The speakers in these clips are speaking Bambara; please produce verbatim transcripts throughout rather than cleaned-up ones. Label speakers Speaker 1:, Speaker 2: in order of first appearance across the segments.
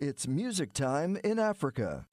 Speaker 1: It's music time in Africa.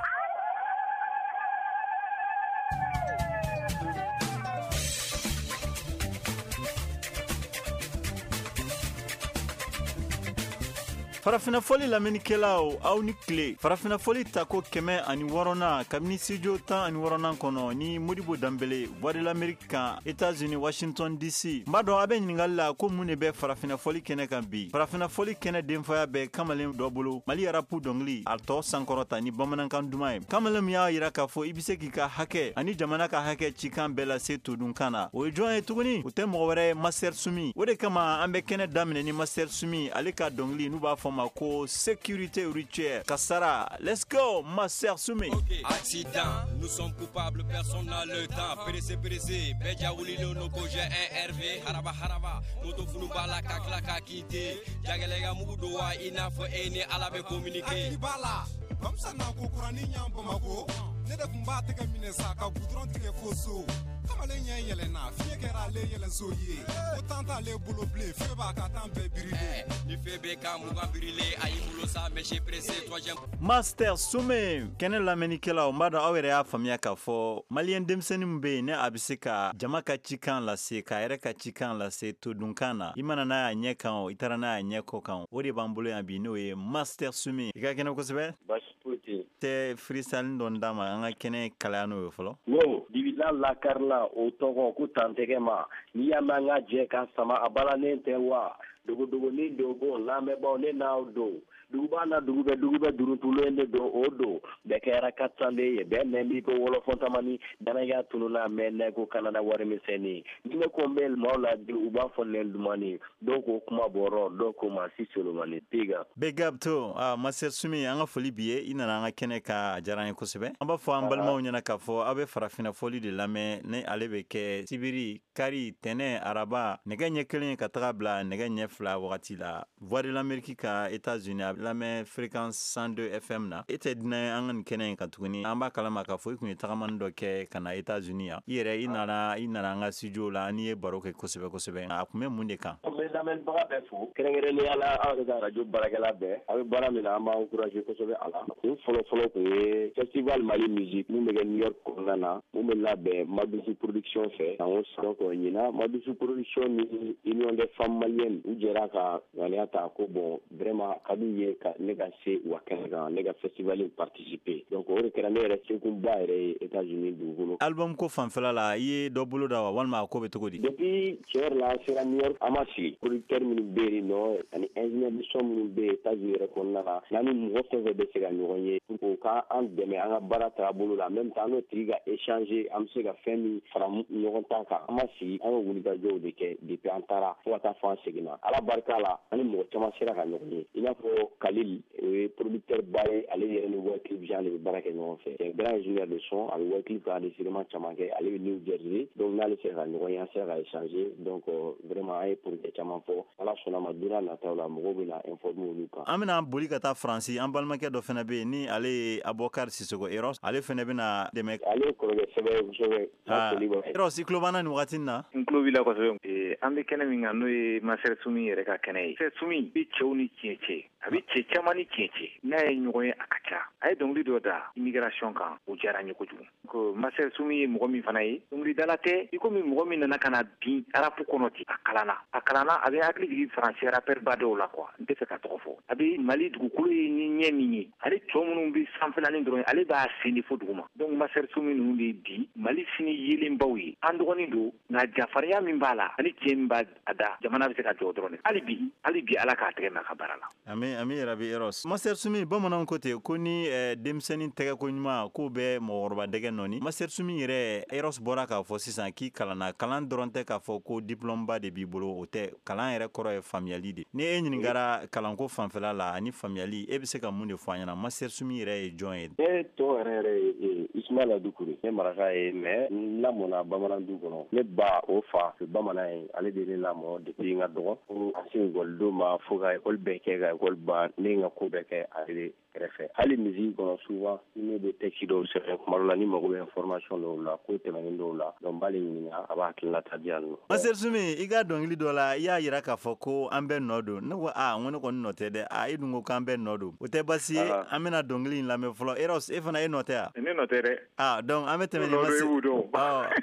Speaker 2: Farafina fɔli lamɛnnikɛlaw, aw ni tile. Farafina fɔli tako kɛmɛ ani wɔɔrɔnan kabini studio tan ani wɔɔrɔnan kɔnɔ ni Modibo Danbele, Voix de l'Amérique kan, États-Unis, Washington D C. N b'a dɔn a bɛ ɲininkali la ko mun de bɛ farafina fɔli kɛnɛ kan bi. Farafina fɔli kɛnɛ denfaya bɛ kamalen dɔ bolo, Mali rap dɔnkili a tɔ sankɔrɔta ni bamanankan duman ye. Kamalen min y'a yira k'a fɔ i bɛ se k'i ka hakɛ ani jamana ka hakɛ cikan bɛɛ lase todunkan na. O ye jɔn ye tuguni? O tɛ mɔgɔ wɛrɛ ye, Master Sumi. O de kama an bɛ kɛnɛ daminɛ ni Master Sumi, ale ka dɔnkili n'u b'a fɔ ma ko sécurité routière kasara. Let's go, Master Sumi.
Speaker 3: Okay. Accident, nous sommes coupables, personne n'a le temps. Pressé, pressé, bɛɛ ja wulilen don ko j'ai un R V. Haraba, haraba, moto funu b'a la ka tila ka quitter. Jagɛlɛya mugu don wa i n'a fɔ e ni Ala bɛ communiquer.
Speaker 4: Hakili b'a la bamisa na ko kuranin ɲan Bamako, ne de kun b'a tɛgɛ minɛ sa ka gudɔrɔn tigɛ fo so. Kamalen ɲɛ yɛlɛnna, fiɲɛ kɛra ale yɛlɛnso ye, ko tan t'ale bolo bilen, feu b'a ka tan bɛɛ birilen.
Speaker 3: Ni feu bɛ ka mugan birilen, a y'i bolo sa, mais j'ai pressé troisième.
Speaker 2: Master Sumi kɛnɛ lamɛnnikɛlaw, n b'a dɔn aw yɛrɛ y'a faamuya k'a fɔ maliyɛn denmisɛnnin min bɛ yen ne a bɛ se ka jama ka cikan lase, k'a yɛrɛ ka cikan lase todunkan na, i mana n'a y'a ɲɛ kan o, i taara n'a y'a ɲɛ kɔ kan, o de b'an bolo yan bi, n'o ye Master Sumi. I ka kɛnɛ kosɛbɛ.
Speaker 5: Baasi foyi tɛ yen.
Speaker 2: Tɛ freestyle dɔ d'a ma, an ka kɛnɛ kalaya n'o ye fɔlɔ.
Speaker 5: No dibila lakarila, o tɔgɔ ko tantɛgɛ ma. N'i y'a mɛn an ka jɛ ka sama, a balannen tɛ wa dogodogonin dogo. Lamɛnbaaw, ne n'aw don duguba na, dugu bɛ dugu bɛ duruntulen de don, o don bɛɛ kɛra katanden ye, bɛɛ nɛn b'i ko wɔlɔfɔntamani danaya tununa mɛ nɛ ko kanada warimisɛnnin. Ni ne ko n bɛ maaw la, u b'a fɔ nɛn dumani, dɔw ko kuma bɔrɔ, dɔw ko ma si solomani piga.
Speaker 2: Big up to ah, Master Sumi, an ka foli b'i ye. I nana an ka kɛnɛ ka, a diyara an ye kosɛbɛ. An b'a fɔ an balimaw ɲɛna k'a fɔ aw bɛ farafinna fɔli de lamɛn, ni ale bɛ kɛ sibiri, kari, tɛnɛ, araba, nɛgɛ ɲɛ kelen ka taga bila nɛgɛ ɲɛ fila wagati la, Voix de l'Amérique ka, États-Unis, a lamɛn fréquence cent deux F M na. E tɛ dunan ye an ka nin kɛnɛ in kan tuguni. An b'a kalama k'a fɔ i kun ye tagamani dɔ kɛ ka na États-Unis yan. I yɛrɛ i nana i nana an ka studio la, an ye baro kɛ kosɛbɛ kosɛbɛ. A kun bɛ mun de kan?
Speaker 5: N bɛ lamɛnnibaga bɛɛ fo, kɛrɛnkɛrɛnnenya la aw yɛrɛ ka radio baarakɛla bɛɛ. A bɛ baara min na, an b'aw encourager kosɛbɛ. A la kun fɔlɔ fɔlɔ kun ye festival Mali musique mun bɛ kɛ New York kɔnɔna na, mun bɛ labɛn Madusu production fɛ san o san. Donc ɲinan, Madusu production ni Union des femmes maliennes, u jɛra ka ŋaniya ta ko bon, vraiment ka d'u ye ka ne ka se u ka kɛnɛ kan, ne ka festival in participer. Donc o de kɛra ne yɛrɛ sekunba yɛrɛ ye États-Unis dugukolo.
Speaker 2: Album ko fanfɛla la, i ye dɔ bolo da wa, walima a ko bɛ cogo di?
Speaker 5: Depuis tiɲɛ yɛrɛ la, an sera New York, an ma sigi. Producteur minnu bɛ yen nɔ ani ingénieur de son minnu bɛ yen États-Unis yɛrɛ kɔnɔna la, n'an ni mɔgɔ fɛn fɛn bɛ se ka ɲɔgɔn ye pour que u ka an dɛmɛ an ka baara taabolo la, en même temps an n'o tigi ka échanger, an bɛ se ka fɛn min fara ɲɔgɔn ta kan. An ma sigi, an ye wulikajɔw de kɛ depuis an taara fo ka taa fɔ an seginna. Ala barika la, an ni mɔgɔ caman sera ka ɲɔgɔn ye, i n'a fɔ Kalil, o ye producteur ba ye. Ale yɛrɛ ni Wyclef Jean de bɛ baara kɛ ɲɔgɔn fɛ. C'est un grand ingénieur de son, a bɛ Wyclef ka enregistrement caman kɛ. Ale bɛ New Jersey, donc n'ale sera ka ɲɔgɔn ye, an sera ka échanger. Donc vraiment an ye projet caman fɔ. Ala sɔnna ma, don n'a nataw la, mɔgɔw bɛna informer olu kan.
Speaker 2: An bɛna boli ka taa Faransi. An balimakɛ dɔ fana bɛ yen, ni ale ye Abubakar Sisoko Eros, ale fana bɛna dɛmɛ.
Speaker 5: Ale ye kɔrɔkɛ sɛbɛ ye kosɛbɛ.
Speaker 2: Eros, i tulo b'an na nin wagati in na?
Speaker 6: N tulo b'i la kosɛbɛ. An bɛ kɛnɛ min kan, n'o ye Master Sumi yɛrɛ ka kɛnɛ ye. Master Sumi bɛ cɛw ni tiɲɛ cɛ, a bɛ cɛ caman ni tiɲɛ cɛ, n'a ye ɲɔgɔn ye a ka ca. A ye dɔnkili dɔ da immigration kan, o diyara n ye kojugu. Ko Master Sumi ye mɔgɔ min fana ye, dɔnkilidala tɛ i komi mɔgɔ min nana ka na bin rap kɔnɔ ten. A kalanna, a kalanna, a bɛ hakili jigin faransi rappeur ba dɔw la quoi, n tɛ fɛ ka tɔgɔ fɔ. A bɛ Mali dugukolo ye ni ɲɛ min ye, ale tɔ minnu bɛ sanfɛlanin dɔrɔn, ale b'a sen de fo duguma. Donc Master Sumi ninnu de ye bi Mali sini yelenbaw ye. An dɔgɔnin don, nka jafarinya min b'a la ani tiɲɛ min b'a da, jamana bɛ se ka jɔ dɔrɔn de. Hali bi, hali bi, Ala k'a tɛgɛ mɛn a ka baara la.
Speaker 2: Ami, ami yɛrɛ. Eros, Master Sumi, bamananw ko ten ko ni denmisɛnnin tɛgɛ ko ɲuman k'o bɛ mɔgɔkɔrɔba dɛgɛ nɔni. Master Sumi yɛrɛ, Eros bɔra k'a fɔ sisan k'i kalanna. Kalan dɔrɔn tɛ k'a fɔ ko diplôme ba de b'i bolo, o tɛ. Kalan yɛrɛ kɔrɔ ye faamuyali de. Ni e ɲininkara kalanko fanfɛla la ani faamuyali, e bɛ se ka mun de fɔ an ɲɛna? Master Sumi yɛrɛ ye jɔn ye?
Speaker 5: Ne tɔgɔ yɛrɛ yɛrɛ ye Ismaila Dukure. Ne maraka ye, mais n lamɔna bamanan du kɔnɔ. Ne ba, o fa bamanan ye, ale de ne lamɔ depuis n ka dɔgɔ fo ka se ekɔlido ma, fo ka ekɔli bɛɛ kɛ, ka ekɔli ban, ne ye n ka ko bɛɛ kɛ ale de kɛrɛfɛ. Hali musique kɔnɔ, souvent ni ne bɛ texte dɔw sɛbɛn, kuma dɔw la ni mago bɛ information dɔw la, ko tɛmɛnen dɔw la, donc n b'ale ɲininka, a b'a hakilinata di yan nɔ.
Speaker 2: Master Soumy, i ka dɔnkili dɔ la, i y'a yira k'a fɔ ko an bɛɛ nɔ don. Ne ko aa, n ko ne kɔni nɔ tɛ dɛ. Aa, e dun ko k'an bɛɛ nɔ don. O tɛ baasi ye, an bɛna dɔnkili in lamɛn fɔlɔ. Eros, e fana e nɔ tɛ wa?
Speaker 6: Ne nɔ tɛ dɛ.
Speaker 2: Aa, donc an bɛ tɛmɛ ni Master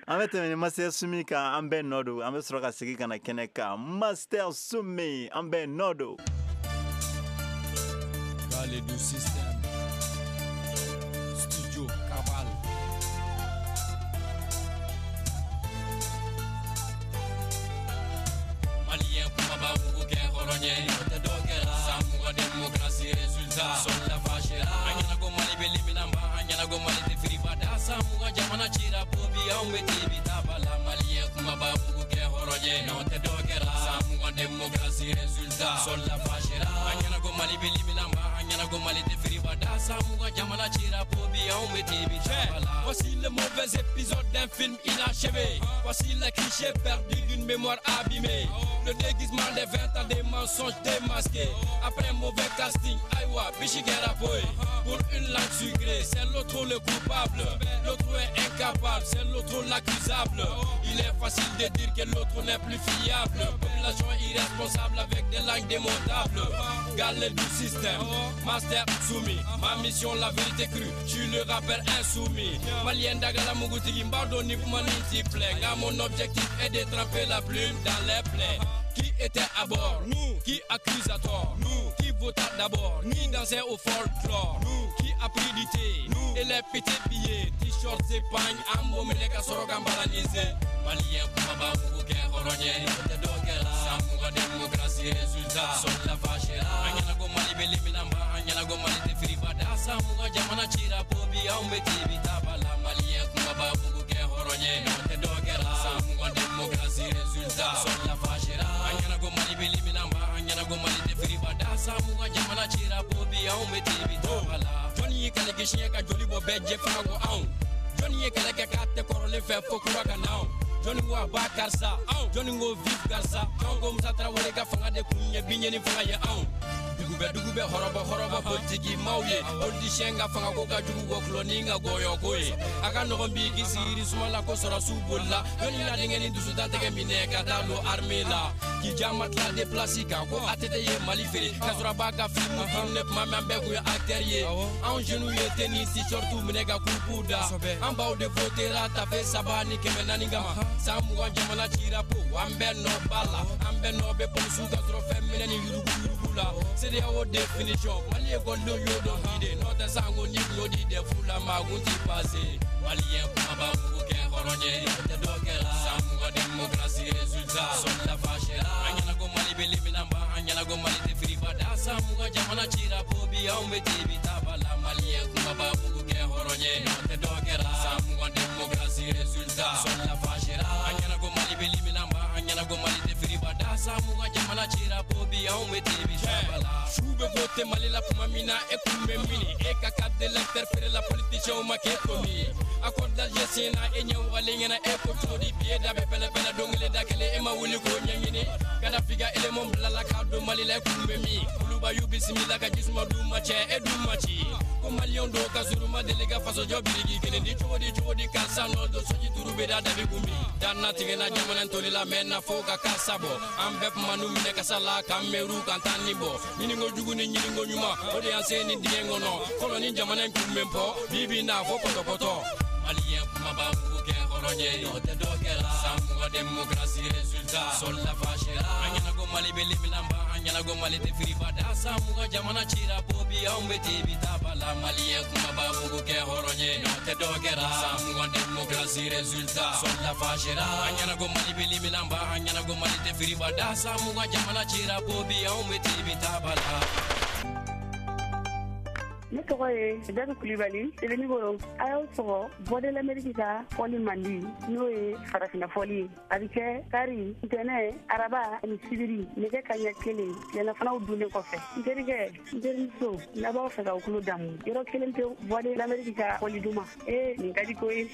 Speaker 2: an bɛ tɛmɛ ni Master Soumy kan, an bɛɛ nɔ don. An bɛ sɔrɔ ka segin ka na kɛnɛ kan. Master Soumy, an bɛɛ nɔ don.
Speaker 3: Du système Studio Cabal. Malien kumaba mugu kɛ hɔrɔn ye, o tɛ dɔ kɛra. San mugan démocratie résultat sɔrɔla fâchera. An ɲɛna ko Mali bɛ liminanba, an ɲɛna ko Mali tɛ firiba da. San mugan jamana cira po bi anw bɛ tebi taba la. Malien kumaba mugu kɛ hɔrɔn ye, n'o tɛ dɔ kɛra. San mugan démocratie résultat sɔrɔla fâchera. An ɲɛna ko Mali bɛ liminanba, an ɲɛna ko Mali tɛ firiba da. San mugan jamana cira po bi anw bɛ tebi taba la. Voici le mauvais épisode d'un film inachevé. Voici la cliché perdue d'une mémoire abîmée. Le déguisement des vingt ans des mensonges démasqués. Après mauvais casting, aïwa, bichigera boy. Pour une langue sucrée, c'est l'autre le coupable. L'autre est incapable, c'est l'autre l'accusable. Il est facile de dire que l'autre n'est plus fiable. Population irresponsable avec des langues démontables. Galère du système, Master Soumy. Ma mission, la vérité crue, je le rappelle insoumis. Malien d'Agala Mugutigi, Mbado Nipmani Tiplé. Mon objectif est de tremper la plume dans les plaies. Qui était à bord? Nous. Qui accuse à tort? Nous. Qui vota d'abord? Nous. Qui dansait au folklore? Nous. Qui a pris du thé? Nous. Et les petits billets, t-shirts et pagnes, ambo meleka soroka mbalanise. Malien kumaba mugu kɛ hɔrɔn ye, o tɛ dɔ kɛra. San mugan démocratie résultat sɔrɔla fâchera. An ɲɛna ko Mali bɛ liminanba, an ɲɛna ko Mali tɛ firiba da. San mugan jamana cira po bi anw bɛ tebi taba la. Malien kumaba mugu kɛ hɔrɔn ye, o tɛ dɔ kɛra. San mugan démocratie résultat sɔrɔla fâchera. An ɲɛna ko Mali bɛ liminanba, an ɲɛna ko Mali tɛ firiba da. San mugan jamana cira po bi anw bɛ tebi taba la. Jɔnni ye kɛlɛ kɛ siɲɛ ka joli bɔ bɛɛ jɛ fanga ko anw. Jɔnni ye kɛlɛ kɛ k'a tɛ kɔrɔlen fɛ fo kura ka na anw. Jɔnni ko a ba karisa, jɔnni ko vive karisa. Jɔn ko Musa Tarawele ka fanga de kun ye biɲɛ ni fanga ye anw. Dugu bɛ dugu bɛ hɔrɔbɔ hɔrɔbɔ politiki maaw ye. Politicien ka fanga ko ka jugu kɔ kulɔni ka gɔyɔ ko ye. A ka nɔgɔn bi k'i sigi suma la ko sɔrɔsiw bolila. Jɔnni la denkɛ ni dusutan tɛgɛ minɛ ka taa don armée la. K'i jama tila déplace kan ko A T T ye Mali feere. K'a sɔrɔ a b'a ka film tourner tuma min an bɛɛ kun ye acteur ye. Anw jeunes ye tennis t-shirt minɛ ka coupe da. An baw de votera tafe saba ni kɛmɛ naani kama. San mugan jamana cira po an bɛɛ nɔ b'a la. An bɛɛ nɔ bɛ polisiw ka sɔrɔ fɛn minɛ ni yurugu yurugu la. CEDEAO définition Mali ekɔlidenw y'o dɔn bi de. N'o tɛ sanko ni kun y'o di dɛfu la maa kun t'i passé. Malien kumaba mugu kɛ hɔrɔn ye, o tɛ dɔ kɛra. San mugan démocratie résultat sɔrɔla fâchera. An ɲɛna ko Mali bɛ liminanba, an ɲɛna ko Mali tɛ firiba da. San mugan jamana cira po bi anw bɛ tebi taba la. Malien kumaba mugu kɛ hɔrɔn ye, o tɛ dɔ kɛra. San mugan démocratie résultat sɔrɔla fâchera. An ɲɛna ko Mali bɛ liminanba, an ɲɛna ko Mali tɛ firiba da. San mugan jamana cira po bi anw bɛ tebi taba la. Su bɛ vote Mali la tuma min na e kun bɛ mini. E ka carte d'électeur feere la politicien ma k'e tomi. Accord d'Alger senna e ɲɛ wagalen ɲɛna e ko cogo di. Bi e da bɛ pɛlɛ-pɛlɛ don kelen da kelen e ma wuli k'o ɲɛɲini. Kadafi ka élément bilala k'a don Mali la e kun bɛ min. Kuluba y'u bisimila ka jisuma d'u ma cɛ e dun ma ci. Ko maliyɛnw dɔw ka surun ma deli ka fasojɔ biriki kelen di. Cogo di cogo di karisa nɔ don soji duuru bɛ da dabi kun bi. Danna tigɛna jamana toli la mɛ na fo ka karisa bɔ. An bɛɛ kuma n'u minɛ kasa la k'an mɛru k'an tan ni bɔ. Ɲininko jugu ni ɲininko ɲuman o de y'an se ni dingɛ kɔnɔ. Fɔlɔ ni jamana in kun bɛ bɔ bi bi na fo pɔtɔpɔtɔ. Malien kumaba mugu kɛ hɔrɔn ye, o tɛ dɔ kɛra. San mugan démocratie résultat sɔrɔla fâchera. An ɲɛna ko Mali bɛ liminanba, an ɲɛna ko Mali tɛ firiba da. San mugan jamana cira po bi anw bɛ tebi taba la. Malien kumaba mugu kɛ hɔrɔn ye, o tɛ dɔ kɛra. San mugan démocratie résultat sɔrɔla fâchera. An ɲɛna ko Mali bɛ liminanba, an ɲɛna ko Mali tɛ firiba da. San mugan jamana cira po bi anw bɛ tebi taba la.
Speaker 7: Ne tɔgɔ ye Dadu Kulibali, Sebenikoro. A y'aw sɔgɔ Voix de l'Amérique ka fɔli mandi, n'o ye farafinna fɔli ye. A bɛ kɛ kari, ntɛnɛn, araba ani sibiri nɛgɛ kanɲɛ kelen tilelafanaw dunnen kɔfɛ. N terikɛ, n terimuso, n'a b'aw fɛ k'aw tulo damu, yɔrɔ kelen pewu, Voix de l'Amérique ka fɔli duman. Ee, nin ka di ko ye.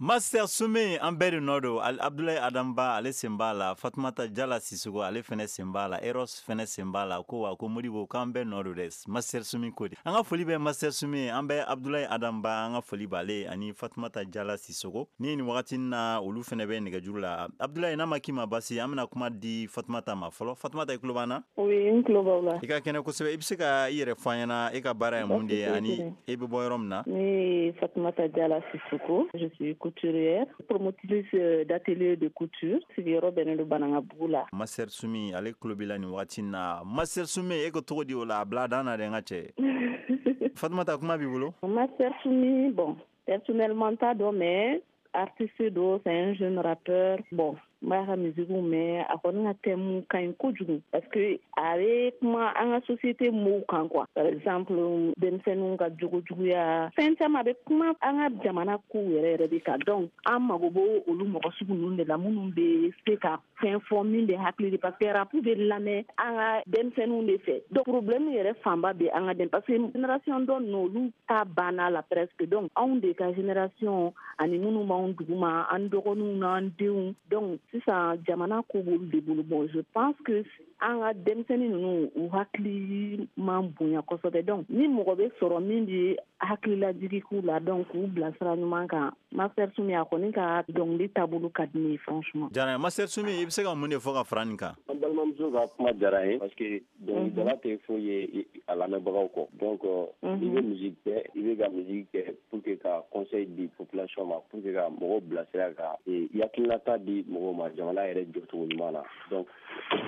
Speaker 2: Master Soumy an bɛɛ de nɔ don. Abdoulaye Adamba ale sen b'a la, Fatumata Jala Sisoko ale fɛnɛ sen b'a la, Eros fɛnɛ sen b'a la. Ko wa ko Modibo k'an bɛɛ nɔ don dɛ, Master Soumy ko de. An ka foli bɛ Master Soumy, an bɛ Abdoulaye Adamba, an ka foli b'ale ani Fatumata Jala Sisoko. Ni nin wagati na olu fɛnɛ bɛ nɛgɛjuru la. Abdoulaye, n'a ma k'i ma basi, an bɛna kuma di Fatumata ma fɔlɔ. Fatumata, i tulo b'an na?
Speaker 8: Oui, n tulo b'aw la.
Speaker 2: I ka kɛnɛ kosɛbɛ. I bɛ se ka i yɛrɛ fɔ an ɲɛna, e ka baara ye mun de ye ani e bɛ bɔ yɔrɔ min na?
Speaker 8: Ne ye Fatumata Jala Sisoko, je suis couturière, promotrice d'atelier de couture. Sigiyɔrɔ bɛnnen don Banankabugu la.
Speaker 2: Master Soumy ale tulo b'i la nin wagati na. Master Soumy, e ko cogo di o la? A bila dan na dɛ, n ka cɛ. Fatumata, kuma b'i bolo.
Speaker 8: Master Soumy, bon, personnellement t'a dɔn, mais artiste do, c'est un jeune rappeur. Bon, n b'a ka musique mɛn, a kɔni ka thème ka ɲi kojugu parce que a bɛ kuma an ka société mots kan quoi. Par exemple, denmisɛnninw ka jogo juguya, fɛn caman, a bɛ kuma an ka jamana kow yɛrɛ yɛrɛ de kan. Donc an mago b'o olu mɔgɔ sugu ninnu de la, minnu bɛ se ka fɛn fɔ min bɛ hakili di, parce que rap bɛ lamɛn an ka denmisɛnninw de fɛ. Donc problème yɛrɛ fanba bɛ an ka den, parce que génération dɔ ninnu, olu ta banna la presque. Donc anw de ka génération ani minnu b'anw duguma, an dɔgɔninw n'an denw, donc sisan jamana ko b'olu de bolo. Bon, je pense que an ka denmisɛnnin ninnu, u hakili man bonya kosɛbɛ. Donc ni mɔgɔ bɛ sɔrɔ min bɛ hakililajigi k'u la, donc k'u bila sira ɲuman kan, Master Soumy a kɔni ka dɔnkili taabolo ka di ne ye franchement.
Speaker 2: Jara. Master Soumy, i bɛ se ka mun de fɔ ka fara nin kan?
Speaker 5: An balimamuso ka kuma diyara n ye parce que dɔnkilidala tɛ foyi ye a lamɛnbagaw kɔ. Donc i bɛ musique kɛ, i bɛ ka musique kɛ pour que ka conseil di population ma, pour que ka mɔgɔw bilasira, ka i hakilinata di mɔgɔw ma jamana yɛrɛ jɔcogo ɲuman na. Donc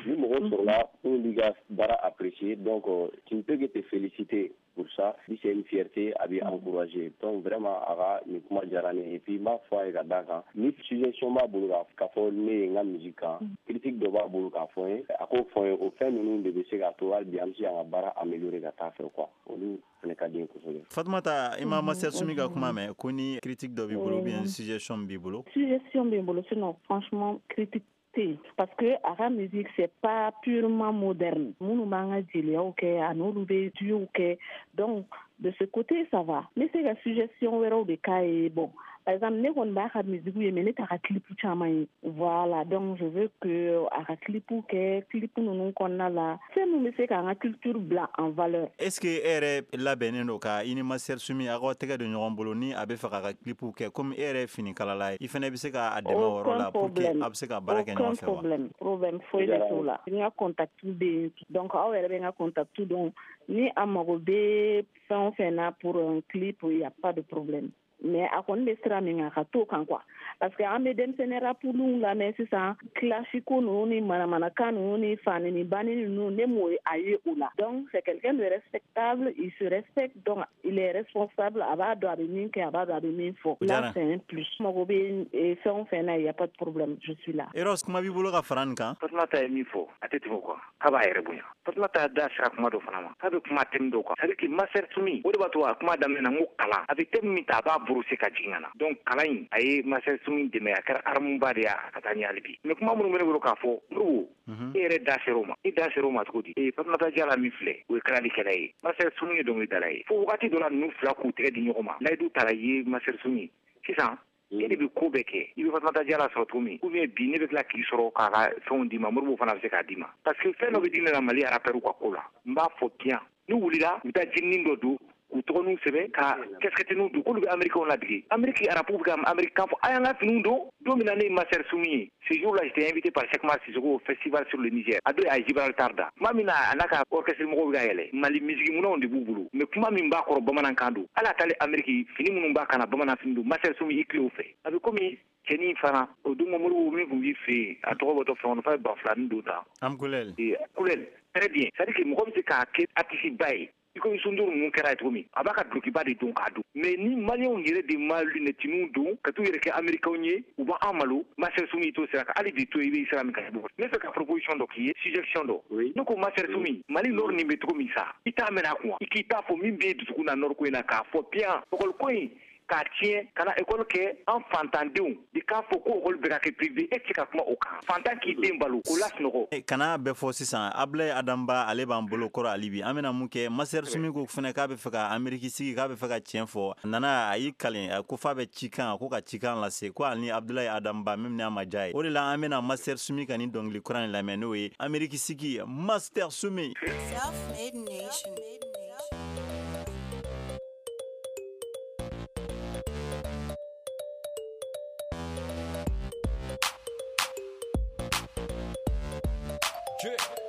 Speaker 5: ni mɔgɔ sɔrɔla minnu b'i ka baara apprécier, donc tu ne peux que te féliciter pour ça. Si c'est une fierté, a b'i encourager. Donc vraiment a ka nin kuma diyara ne ye. Et puis n b'a fɔ a ye ka d'a kan, ni suggestion b'a bolo k'a fɔ ne ye n ka musique kan, critique dɔ b'a bolo k'a fɔ n ye, a k'o fɔ n ye. O fɛn ninnu de bɛ se k'a to hali bi an bɛ se k'an ka baara améliorer ka taa fɛ quoi. Olu fana ka di n ye kosɛbɛ.
Speaker 2: Fatumata, i ma Master Soumy ka kuma mɛn, ko ni critique dɔ b'i bolo ou bien suggestion b'i bolo?
Speaker 8: Suggestion bɛ n bolo, sinon franchement critique tɛ, parce que a ka musique, c'est pas purement moderne. Minnu b'an ka jeliyaw kɛ, a n'olu bɛ duow kɛ, donc de ce côté ça va. N bɛ se ka suggestion wɛrɛw de k'a ye. Bon, par exemple, ne kɔni b'a ka musique ye, mais ne t'a ka clip caman ye. Voilà, donc je veux que a ka clip kɛ, clip ninnu kɔnɔna la, fɛn min bɛ se k'an ka culture bila en valeur.
Speaker 2: Est ce que e yɛrɛ labɛnnen don ka i ni Master Soumy aw ka tɛgɛ don ɲɔgɔn bolo ni a bɛ fɛ k'a ka clip kɛ, komi e yɛrɛ ye finikalala ye, i fana bɛ se k'a dɛmɛ o yɔrɔ la pour que a bɛ se ka baara kɛ ɲɔgɔn fɛ wa?
Speaker 8: Problème, problème foyi de t'o la. N ka contact bɛ yen, donc aw yɛrɛ bɛ n ka contact dɔn. Ni a mago bɛ fɛn o fɛn na pour un clip, il y a pas de problème. Mais a kɔni bɛ sira min kan, a ka t'o kan quoi, parce que an bɛ denmisɛnnin rapuliw lamɛn sisan, clash ko ninnu ni manamanakan ninnu ni fani ni banni ninnu, ne m'o a ye o la. Donc c'est quelqu'un de respectable, il se respecte, donc il est responsable, a b'a dɔn a bɛ min kɛ, a b'a dɔn a bɛ min fɔ. Là c'est un plus. Mago bɛ fɛn o fɛn na, il y a pas de problème, je suis là.
Speaker 2: Eros, kuma b'i bolo ka fara nin kan?
Speaker 6: Fatumata ye min fɔ, a tɛ tɛmɛ o kan. K'a b'a yɛrɛ bonya. Fatumata da sera kuma dɔ fana ma, k'a bɛ kuma thème dɔw kan, c'est à dire que Master Soumy, o de b'a to a kuma daminɛ na, n ko kalan, a bɛ thème min ta, a b'a brosser ka jigin ka na. Donc kalan in a ye Master Soumy dɛmɛ, a kɛra arme ba de ye a ka taa ɲɛ hali bi. Mais kuma minnu bɛ ne bolo k'a fɔ, Modibo, e yɛrɛ da sera o ma. E da sera o ma cogo di? Ee, Fatumata Jala min filɛ, o ye kalalikɛla ye, Master Soumy ye dɔnkilidala ye. Fo wagati dɔ la, ninnu fila k'u tɛgɛ di ɲɔgɔn ma. Layidu taara i ye Master Soumy sisan, e de bɛ ko bɛɛ kɛ. I bɛ Fatumata Jala sɔrɔ cogo min, ou bien bi ne bɛ tila k'i sɔrɔ k'a ka fɛnw d'i ma, Modibo fana bɛ se k'a d'i ma, parce que fɛn dɔ bɛ di ne la Mali rappeur ka ko la, n b'a fɔ bien. N'u wulila, u bɛ taa jininin dɔ don k'u tɔgɔninw sɛbɛn ka casquette don, k'olu bɛ américains ladege. Amérique arabu bɛ ka américain fɔ a y'an ka finiw don. Don min na ne ye Master Soumy ye, ce jour là j'étais invité par Cheikh Mar Sissoko au festival sur le Niger. A don a ye Gibraltar da tuma min na, a n'a ka orchestre mɔgɔw bɛ ka yɛlɛ, Mali musique minɛnw de b'u bolo, mais kuma min b'a kɔrɔ, bamanankan don. Hali a taalen Amérique, fini minnu b'a kan na, bamanan fini don. Master Soumy, i tile o fɛ, a bɛ komi cɛnin fana o don, Modibo min tun b'i fɛ yen, a tɔgɔ bɔtɔ fɛn kɔnɔ, f'a ye ba filanin don tan.
Speaker 2: Am Kulel.
Speaker 6: Kulel, très bien. C'est à dire que mɔgɔ bɛ se k'a kɛ artiste ba ye i komi Sunduuru ninnu kɛra ye cogo min, a b'a ka dulokiba de don k'a don. Mais ni maliyɛnw yɛrɛ de ma lunɛtiniw don ka t'u yɛrɛ kɛ américains ye, u b'an malo. Master Soumy, i t'o sira kan hali bi, to i bɛ sira min kan. Ne fɛ ka proposition dɔ k'i ye, suggestion dɔ. Ne ko Master Soumy, Mali nord nin bɛ cogo min sa, i t'a mɛn a kun, i k'i t'a fɔ min b'e dusukun na nord ko in na, k'a fɔ bien, école ko in k'a tiɲɛ ka na école kɛ an fantandenw de k'a fɔ ko école bɛ ka kɛ privé e tɛ se ka kuma o kan fantan k'i den balo k'o lasunɔgɔ.
Speaker 2: Kana bɛɛ fɔ sisan Ablaye Adamba ale b'an bolo kɔrɔ hali bi an bɛna mun kɛ Master Sumi ko fana k'a bɛ fɛ ka Amérique sigi k'a bɛ fɛ ka tiɲɛ fɔ a nana a y'i kalen ko f'a bɛ cikan ko ka cikan lase ko hali ni Ablaye Adamba même n'a ma diya ye o de la an bɛna Master Sumi ka nin dɔnkili kura in lamɛn n'o ye Amérique sigi Master Sumi.
Speaker 9: Self-made nation.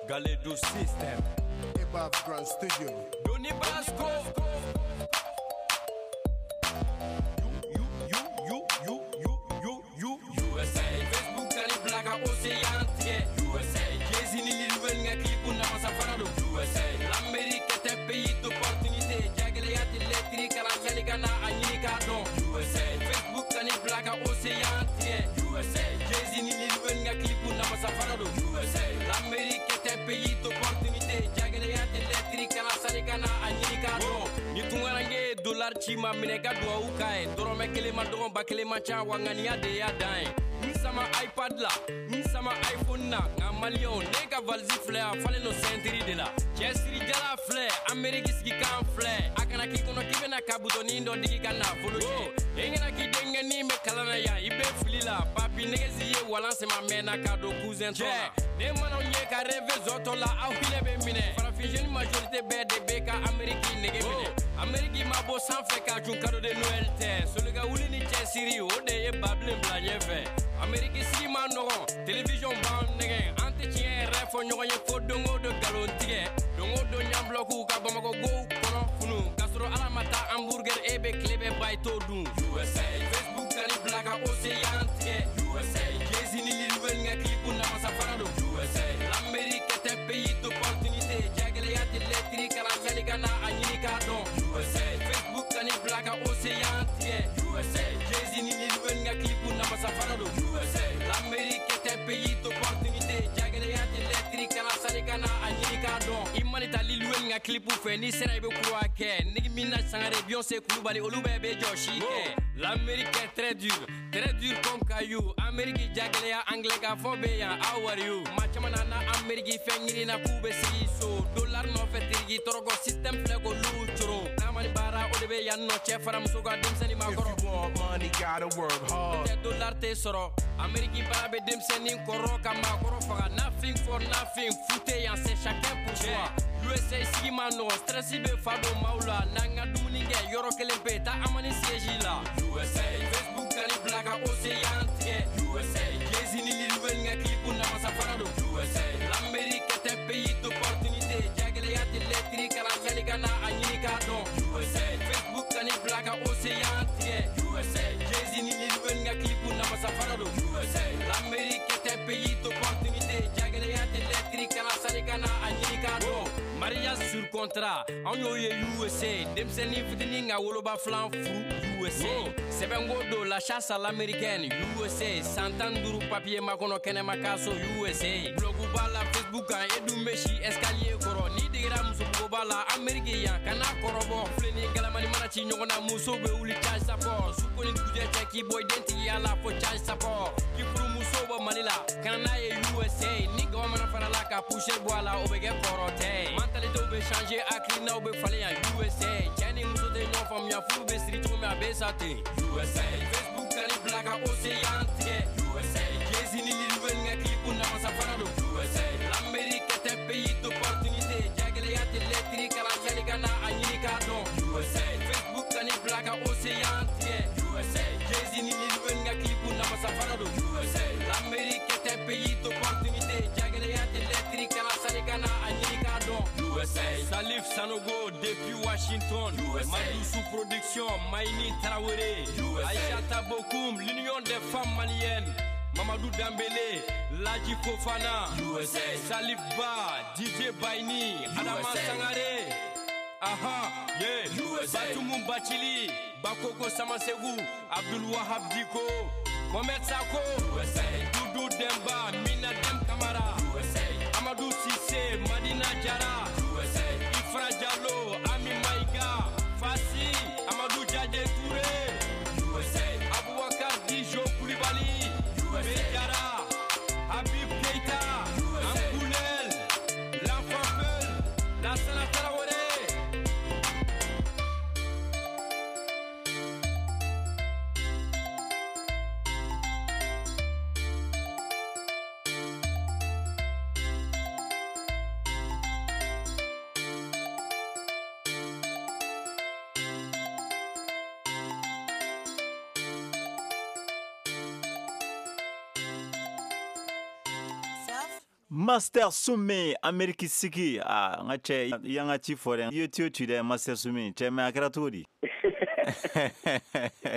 Speaker 3: Galedo System,
Speaker 4: Above Grand Studio,
Speaker 3: Doni Basco, U U U U U U U U S A, Facebook ani Black Ocean tigɛ, U S A, Jay-Z ni Lil Wayne ka clip namasa fana don, U S A, l'Amérique est un pays d'opportunité, jagɛlɛya tɛ lɛtiri kalan sani ka na a ɲini k'a dɔn, U S A, Facebook ani Black Ocean tigɛ, U S A, Jay-Z ni Lil Wayne ka clip namasa fana don, U S A, l'Amérique est un pays d'opportunité, jagɛlɛya tɛ lɛtiri kalan sani ka na a ɲini k'a dɔn. Ni tunkaranke ye dollar ci ma minɛ ka duwawu k'a ye, dɔrɔmɛ kelen ma dɔgɔn ba kelen ma ca wa ŋaniya de y'a dan ye. N sama iPad la, n sama iPhone na, nka maliyɛnw ne ka valise filɛ a falen don ceinture de la. Cɛsirijala filɛ, Amérique sigikan filɛ, a kana k'i kɔnɔ k'i bɛna ka butɔnin dɔ digi ka nafolo cɛ. E ɲɛna k'i denkɛnin bɛ kalan na yan, i bɛ fili la, papi nɛgɛsi ye walan sema mɛnna ka don cousin tɔ la. Ne mana aw ye ka rêve zɔtɔ la, aw hinɛ bɛ minɛ. Farafin jeune majorité bɛɛ de bɛ ka Amérique nege minɛ. Amérique ma bɔ sanfɛ ka jun cadeau de Noël tɛ. Soli ka wuli ni cɛsiri, o de ye Babilen bila ɲɛfɛ. Amérique sigi ma nɔgɔn, télévision b'an nɛgɛn. An tɛ tiɲɛ yɛrɛ fɔ ɲɔgɔn ye fo don o don nkalon tigɛ. Don o don ɲanbulɔkuw ka Bamakɔ gow kɔnɔ funu. K'a sɔrɔ Ala ma taa hamburger e bɛ tile bɛɛ ba i t'o dun. U S A, Facebook ani Black Ocean tigɛ. U S A, Jay-Z ni Lil Wayne ka clip namasa fana don. U S A, l'Amérique est un pays d'opportunité, jagɛlɛya tɛ lɛtiri kalan sani ka na a ɲini k'a dɔn. U S A, Facebook ani Black Ocean tigɛ. U S A, Jay-Z ni Lil Wayne ka clip namasa fana don. U S A, l'Amérique est un pays d'opportunité, jagɛlɛya tɛ lɛtiri kalan sani ka na a ɲini k'a dɔn. I mana taa Lil Wayne ka clip fɛ, n'i sera i bɛ kura kɛ. Nicki Minaj, Sangare, Beyoncé, Kulubali, olu bɛɛ bɛ jɔsi kɛ. L'Amérique est très dure, très dure comme caillou. Amérique jagɛlɛya anglais ka fɔ bɛ yan, how are you? Maa caman nana Amérique fɛn ɲini na k'u bɛ sigi so. Dollar nɔfɛ tiriki tɔrɔkɔ système filɛ k'olu coron. N'a ma ni baara o de bɛ yan nɔ cɛ fara muso kan denmisɛnnin ma kɔrɔ.
Speaker 4: If you want money, gotta work hard.
Speaker 3: Tɛ dollar tɛ sɔrɔ. Amérique baara bɛ denmisɛnnin kɔrɔ ka maakɔrɔ faga. Nothing for nothing, fu tɛ yan, c'est chacun pour soi. U S A sigi ma nɔgɔn, stress bɛ fa don maaw la. N'an ka dumuni kɛ yɔrɔ kelen pe, taa Amani siège la. U S A, Facebook ani Black Ocean tigɛ. U S A, Jay-Z ni Lil Wayne ka clip namasa fana don. U S A, l'Amérique est un pays d'opportunité, jagɛlɛya tɛ lɛtiri kalan sani ka na a ɲini k'a dɔn. U S A, Facebook ani Black Ocean tigɛ. U S A, Jay-Z ni Lil Wayne ka clip namasa fana don. U S A, l'Amérique est un pays d'opportunité, jagɛlɛya tɛ lɛtiri kalan sani ka na a ɲini k'a dɔn. Mariage sur contrat, anw y'o ye U S A, denmisɛnnin fitinin ka woloba filan furu U S A. Sɛbɛnko don la chasse à l'américaine U S A, san tan ni duuru papier makɔnɔ kɛnɛma k'a so U S A. Blog b'a la Facebook kan, e dun bɛ si escalier kɔrɔ. N'i degera musobugoba la Amérique yan, kana kɔrɔbɔ. Filen ni galamani mana ci ɲɔgɔn na, musow bɛ wuli charge support. Su ko ni dugujɛ cɛ k'i bɔ i dentigiya la fo charge support. K'i furumuso bɔ Mali la, ka na n'a ye U S A. Ni gama mana fara la ka poussière bɔ a la, o bɛ kɛ kɔrɔtɛ ye. Mentalité bɛ changer, hakilinaw bɛ falen yan U S A. Cɛ ni muso tɛ ɲɔgɔn faamuya, furu bɛ siri cogo min a bɛ sa ten. U S A, Facebook ani Black Ocean tigɛ. U S A, Jay-Z ni Lil Wayne ka clip namasa fana don. U S A, l'Amérique est un pays d'opportunité, jagɛlɛya tɛ lɛtiri kalan sani ka na a ɲini k'a dɔn. U S A, Facebook ani Black Ocean tigɛ. U S A, Jay-Z ni Lil Wayne ka clip namasa fana don. U S A, l'Amérique est un pays d'opportunité, jagɛlɛya tɛ lɛtiri kalan sani ka na a ɲini k'a dɔn. U S A, Salif Sanogo depuis Washington, U S A, Madoussou Production, Maïni Traoré, U S A, Aïchata Bokoum, l'Union des femmes maliennes, Mamadou Dambélé, Ladji Fofana, U S A, Salif Ba, D J Baini, Adama Sangare, aha, yeah, U S A, Batoumou Bachili, Bakoko Samasegou, Abdul Wahab Diko, Mohamed Sako, U S A, Doudou Demba, Mina Dem Kamara, U S A, Amadou Cissé, Madina Diarra, U S A, Ifra Diallo, Ami Maïga, Fassi, Amadou Diadje Touré.
Speaker 2: Master Soumy Amérique sigi, ah n ka cɛ, i y'an ka ci fɔ dɛ, i ye tuyau ci dɛ. Master Soumy cɛ, mais a kɛra cogo di?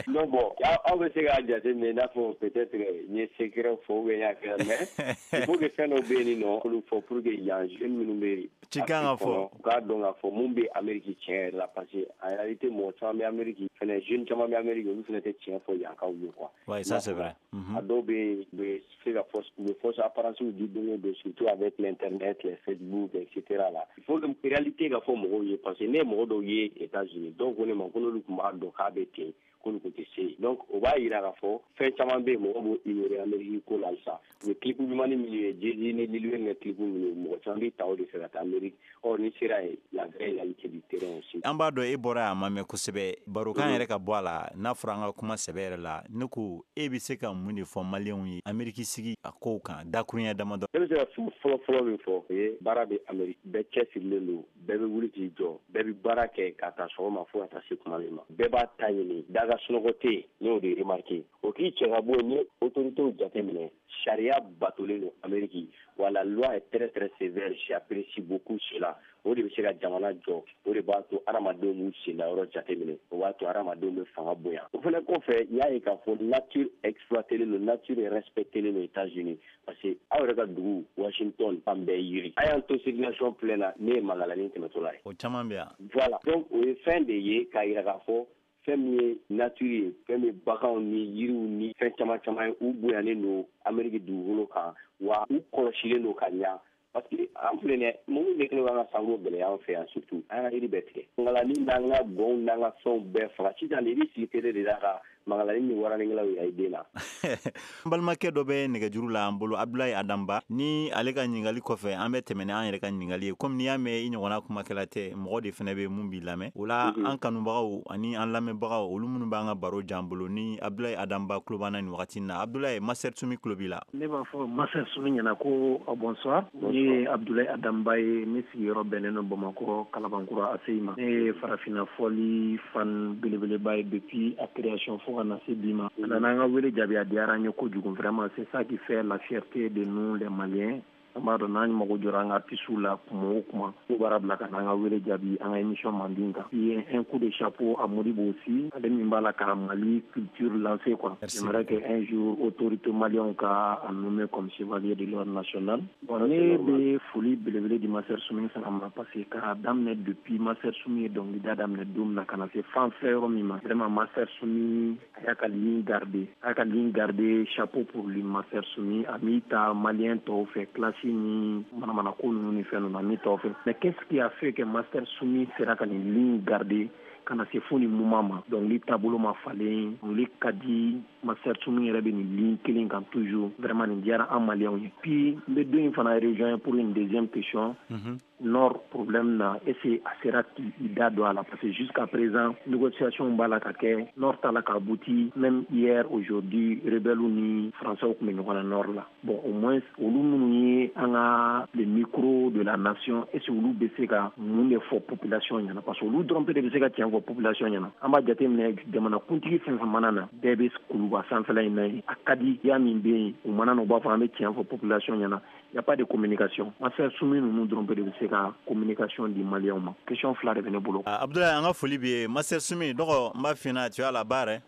Speaker 5: Non, bon, aw bɛ se k'a jateminɛ i n'a fɔ peut-être n ye secret fɔ ou bien n y'a kɛ, mais il faut que fɛn dɔw bɛ yen nɔ, olu fɔ pour que yan jeune minnu bɛ
Speaker 2: ci kan ka fɔ,
Speaker 5: u k'a dɔn k'a fɔ mun bɛ Amérique tiɲɛ yɛrɛ la, parce que en réalité mɔgɔ caman bɛ Amérique fɛnɛ, jeune caman bɛ Amérique, olu fɛnɛ tɛ tiɲɛ fɔ yankaw ye quoi.
Speaker 2: Ouais, ça c'est vrai.
Speaker 5: A dɔw bɛ yen, u bɛ se ka fausse, u bɛ fausse apparence di don o don, surtout avec l'internet, les Facebook, et cetera là. Il faut que réalité ka fɔ mɔgɔw ye, parce que ne ye mɔgɔ dɔw ye États-Unis, dɔw ko ne ma ko n'olu tun b'a dɔn k'a bɛ ten, k'olu tun tɛ se yen. Donc o b'a yira k'a fɔ fɛn caman bɛ yen, mɔgɔw b'o ignorer Amérique ko la halisa. U bɛ clip ɲumanni minnu ye, Jay-Z ni Lil Wayne ka clip minnu ye, mɔgɔ caman bɛ ta o de fɛ ka taa Amérique. Or ni sera yen, la vraie réalité du terrain aussi.
Speaker 2: An b'a dɔn e bɔra yan a ma mɛn kosɛbɛ, barokan yɛrɛ ka bɔ a la, n'a fɔra an ka kuma sɛbɛ yɛrɛ la, ne ko e bɛ se ka mun de fɔ maliyɛnw ye Amérique sigi a kow kan, dakuruɲɛ damadɔ?
Speaker 5: Ne bɛ se ka fɛn fɔlɔ fɔlɔ min fɔ, o ye baara bɛ Amérique, bɛɛ cɛsirilen don, bɛɛ bɛ wuli k'i jɔ, bɛɛ bɛ baara kɛ ka taa sɔgɔma fo ka taa se kuma min ma, bɛɛ b'a ta ɲini, da ka sunɔgɔ tɛ yen. Ne y'o de remarqué. O k'i cɛ ka bɔ yen, ni autorités jateminɛ, sariya batolen don Amérique wa, la loi est très très sévère, j'apprécie beaucoup cela. O de bɛ se ka jamana jɔ, o de b'a to hadamadenw b'u senda yɔrɔ jateminɛ, o b'a to hadamadenw bɛ fanga bonya. O fana kɔfɛ, n y'a ye k'a fɔ nature exploitelen don, nature respectelen don États-Unis, parce que aw yɛrɛ ka dugu Washington fan bɛɛ yiri. A y'an to circulation pleine na, ne ye mankalani tɛmɛtɔla ye.
Speaker 2: O caman bɛ yan.
Speaker 5: Voilà, donc o ye fɛn de ye k'a yira k'a fɔ fɛn min ye nature ye, fɛn min ye baganw ni yiriw ni fɛn caman caman ye, u bonyanen don Amérique dugukolo kan, wa u kɔlɔsilen don ka ɲa. Parce que an filɛ nin ye, mun de kɛlen b'an ka sanko gɛlɛya an fɛ yan? Surtout an ka yiri bɛɛ tigɛ, mangalani n'an ka gɔnw n'an ka fɛnw bɛɛ faga. Sisan de i bɛ sigi télé de la ka mangalani ni waranikɛlaw yira i den na.
Speaker 2: N balimakɛ dɔ bɛ nɛgɛjuru la an bolo, Abdoulaye Adamba. Ni ale ka ɲininkali kɔfɛ, an bɛ tɛmɛ ni an yɛrɛ ka ɲininkali ye. Komi n'i y'a mɛn i ɲɔgɔnna kumakɛla tɛ, mɔgɔ de fana bɛ mun b'i lamɛn o la, an kanubagaw ani an lamɛnbagaw, olu minnu b'an ka baro jan bolo, ni Abdoulaye Adamba tulo b'an na nin wagati in na. Abdoulaye, Master Soumy tulo b'i la.
Speaker 10: Ne b'a fɔ Master Soumy ɲɛna ko bonsoir. Ne ye Abdoulaye Adamba ye, ne sigiyɔrɔ bɛnnen don Bamakɔ Kalabankura A C I ma. Ne ye farafinna fɔli fan belebeleba ye depuis a création fo ka na se bi ma. A nana an ka wele jaabi, a diyara an ye kojugu. Vraiment, c'est ça qui fait la fierté de nous les Maliens. An b'a dɔn n'an mago jɔra an ka artistes la kuma o kuma, k'u baara bila ka na an ka wele jaabi an ka émission mandi kan. Puis un coup de chapeau à Modibo aussi, ale min b'a la ka Mali culture lancer quoi. J'aimerais que un jour autorité malienne ka a nommé comme chevalier de l'ordre national. Bon, ne bɛ foli belebele di Master Soumy fana ma, parce que k'a daminɛ depuis Master Soumy ye dɔnkilida daminɛ don min na ka na se fan filɛ yɔrɔ min ma, vraiment Master Soumy a y'a ka ligne garder, a y'a ka ligne garder. Chapeau pour lui, Master Soumy. A m'i ta malien tɔw fɛ, classe ni manamana ko ninnu ni fɛn ninnu, a m'i tɔw fɛ. Mais qu'est-ce qui a fait que Master Soumy sera ka nin ligne garder ka na se fo nin moment ma? Dɔnkili taabolo ma falen, dɔnkili ka di, Master Soumy yɛrɛ bɛ nin ligne kelen kan toujours. Vraiment nin diyara an maliyɛnw ye. Puis n bɛ don in fana rejoindre pour une deuxième question. mm -hmm. Nord problème na, est ce a sera k'i da don a la? Parce que jusqu'à présent négociation b'a la ka kɛ, nord t'a la ka abouti. Même hier, aujourd'hui, rebelles ni français tun bɛ ɲɔgɔn na nord la. Bon, au moins olu minnu ye an ka le micro de la nation, est ce olu bɛ se ka mun de fɔ population ɲɛna? Parce que olu dɔrɔn pe de bɛ se ka tiɲɛ fɔ population ɲɛna. An b'a jateminɛ, jamana kuntigi fɛn fɛn mana na, bɛɛ bɛ kuluba sanfɛla in na yen, a ka di ya min bɛ yen, u mana na, u b'a fɔ an bɛ tiɲɛ fɔ population ɲɛna. Y a pas de communication. Master Soumy ninnu dɔrɔn pe de bɛ se ka communication di maliyɛnw ma. Question fila de bɛ ne bolo.
Speaker 2: Abdoulaye, an ka foli b'i ye. Master Soumy dɔgɔ, n b'a f'i ɲɛna, tu as la barre.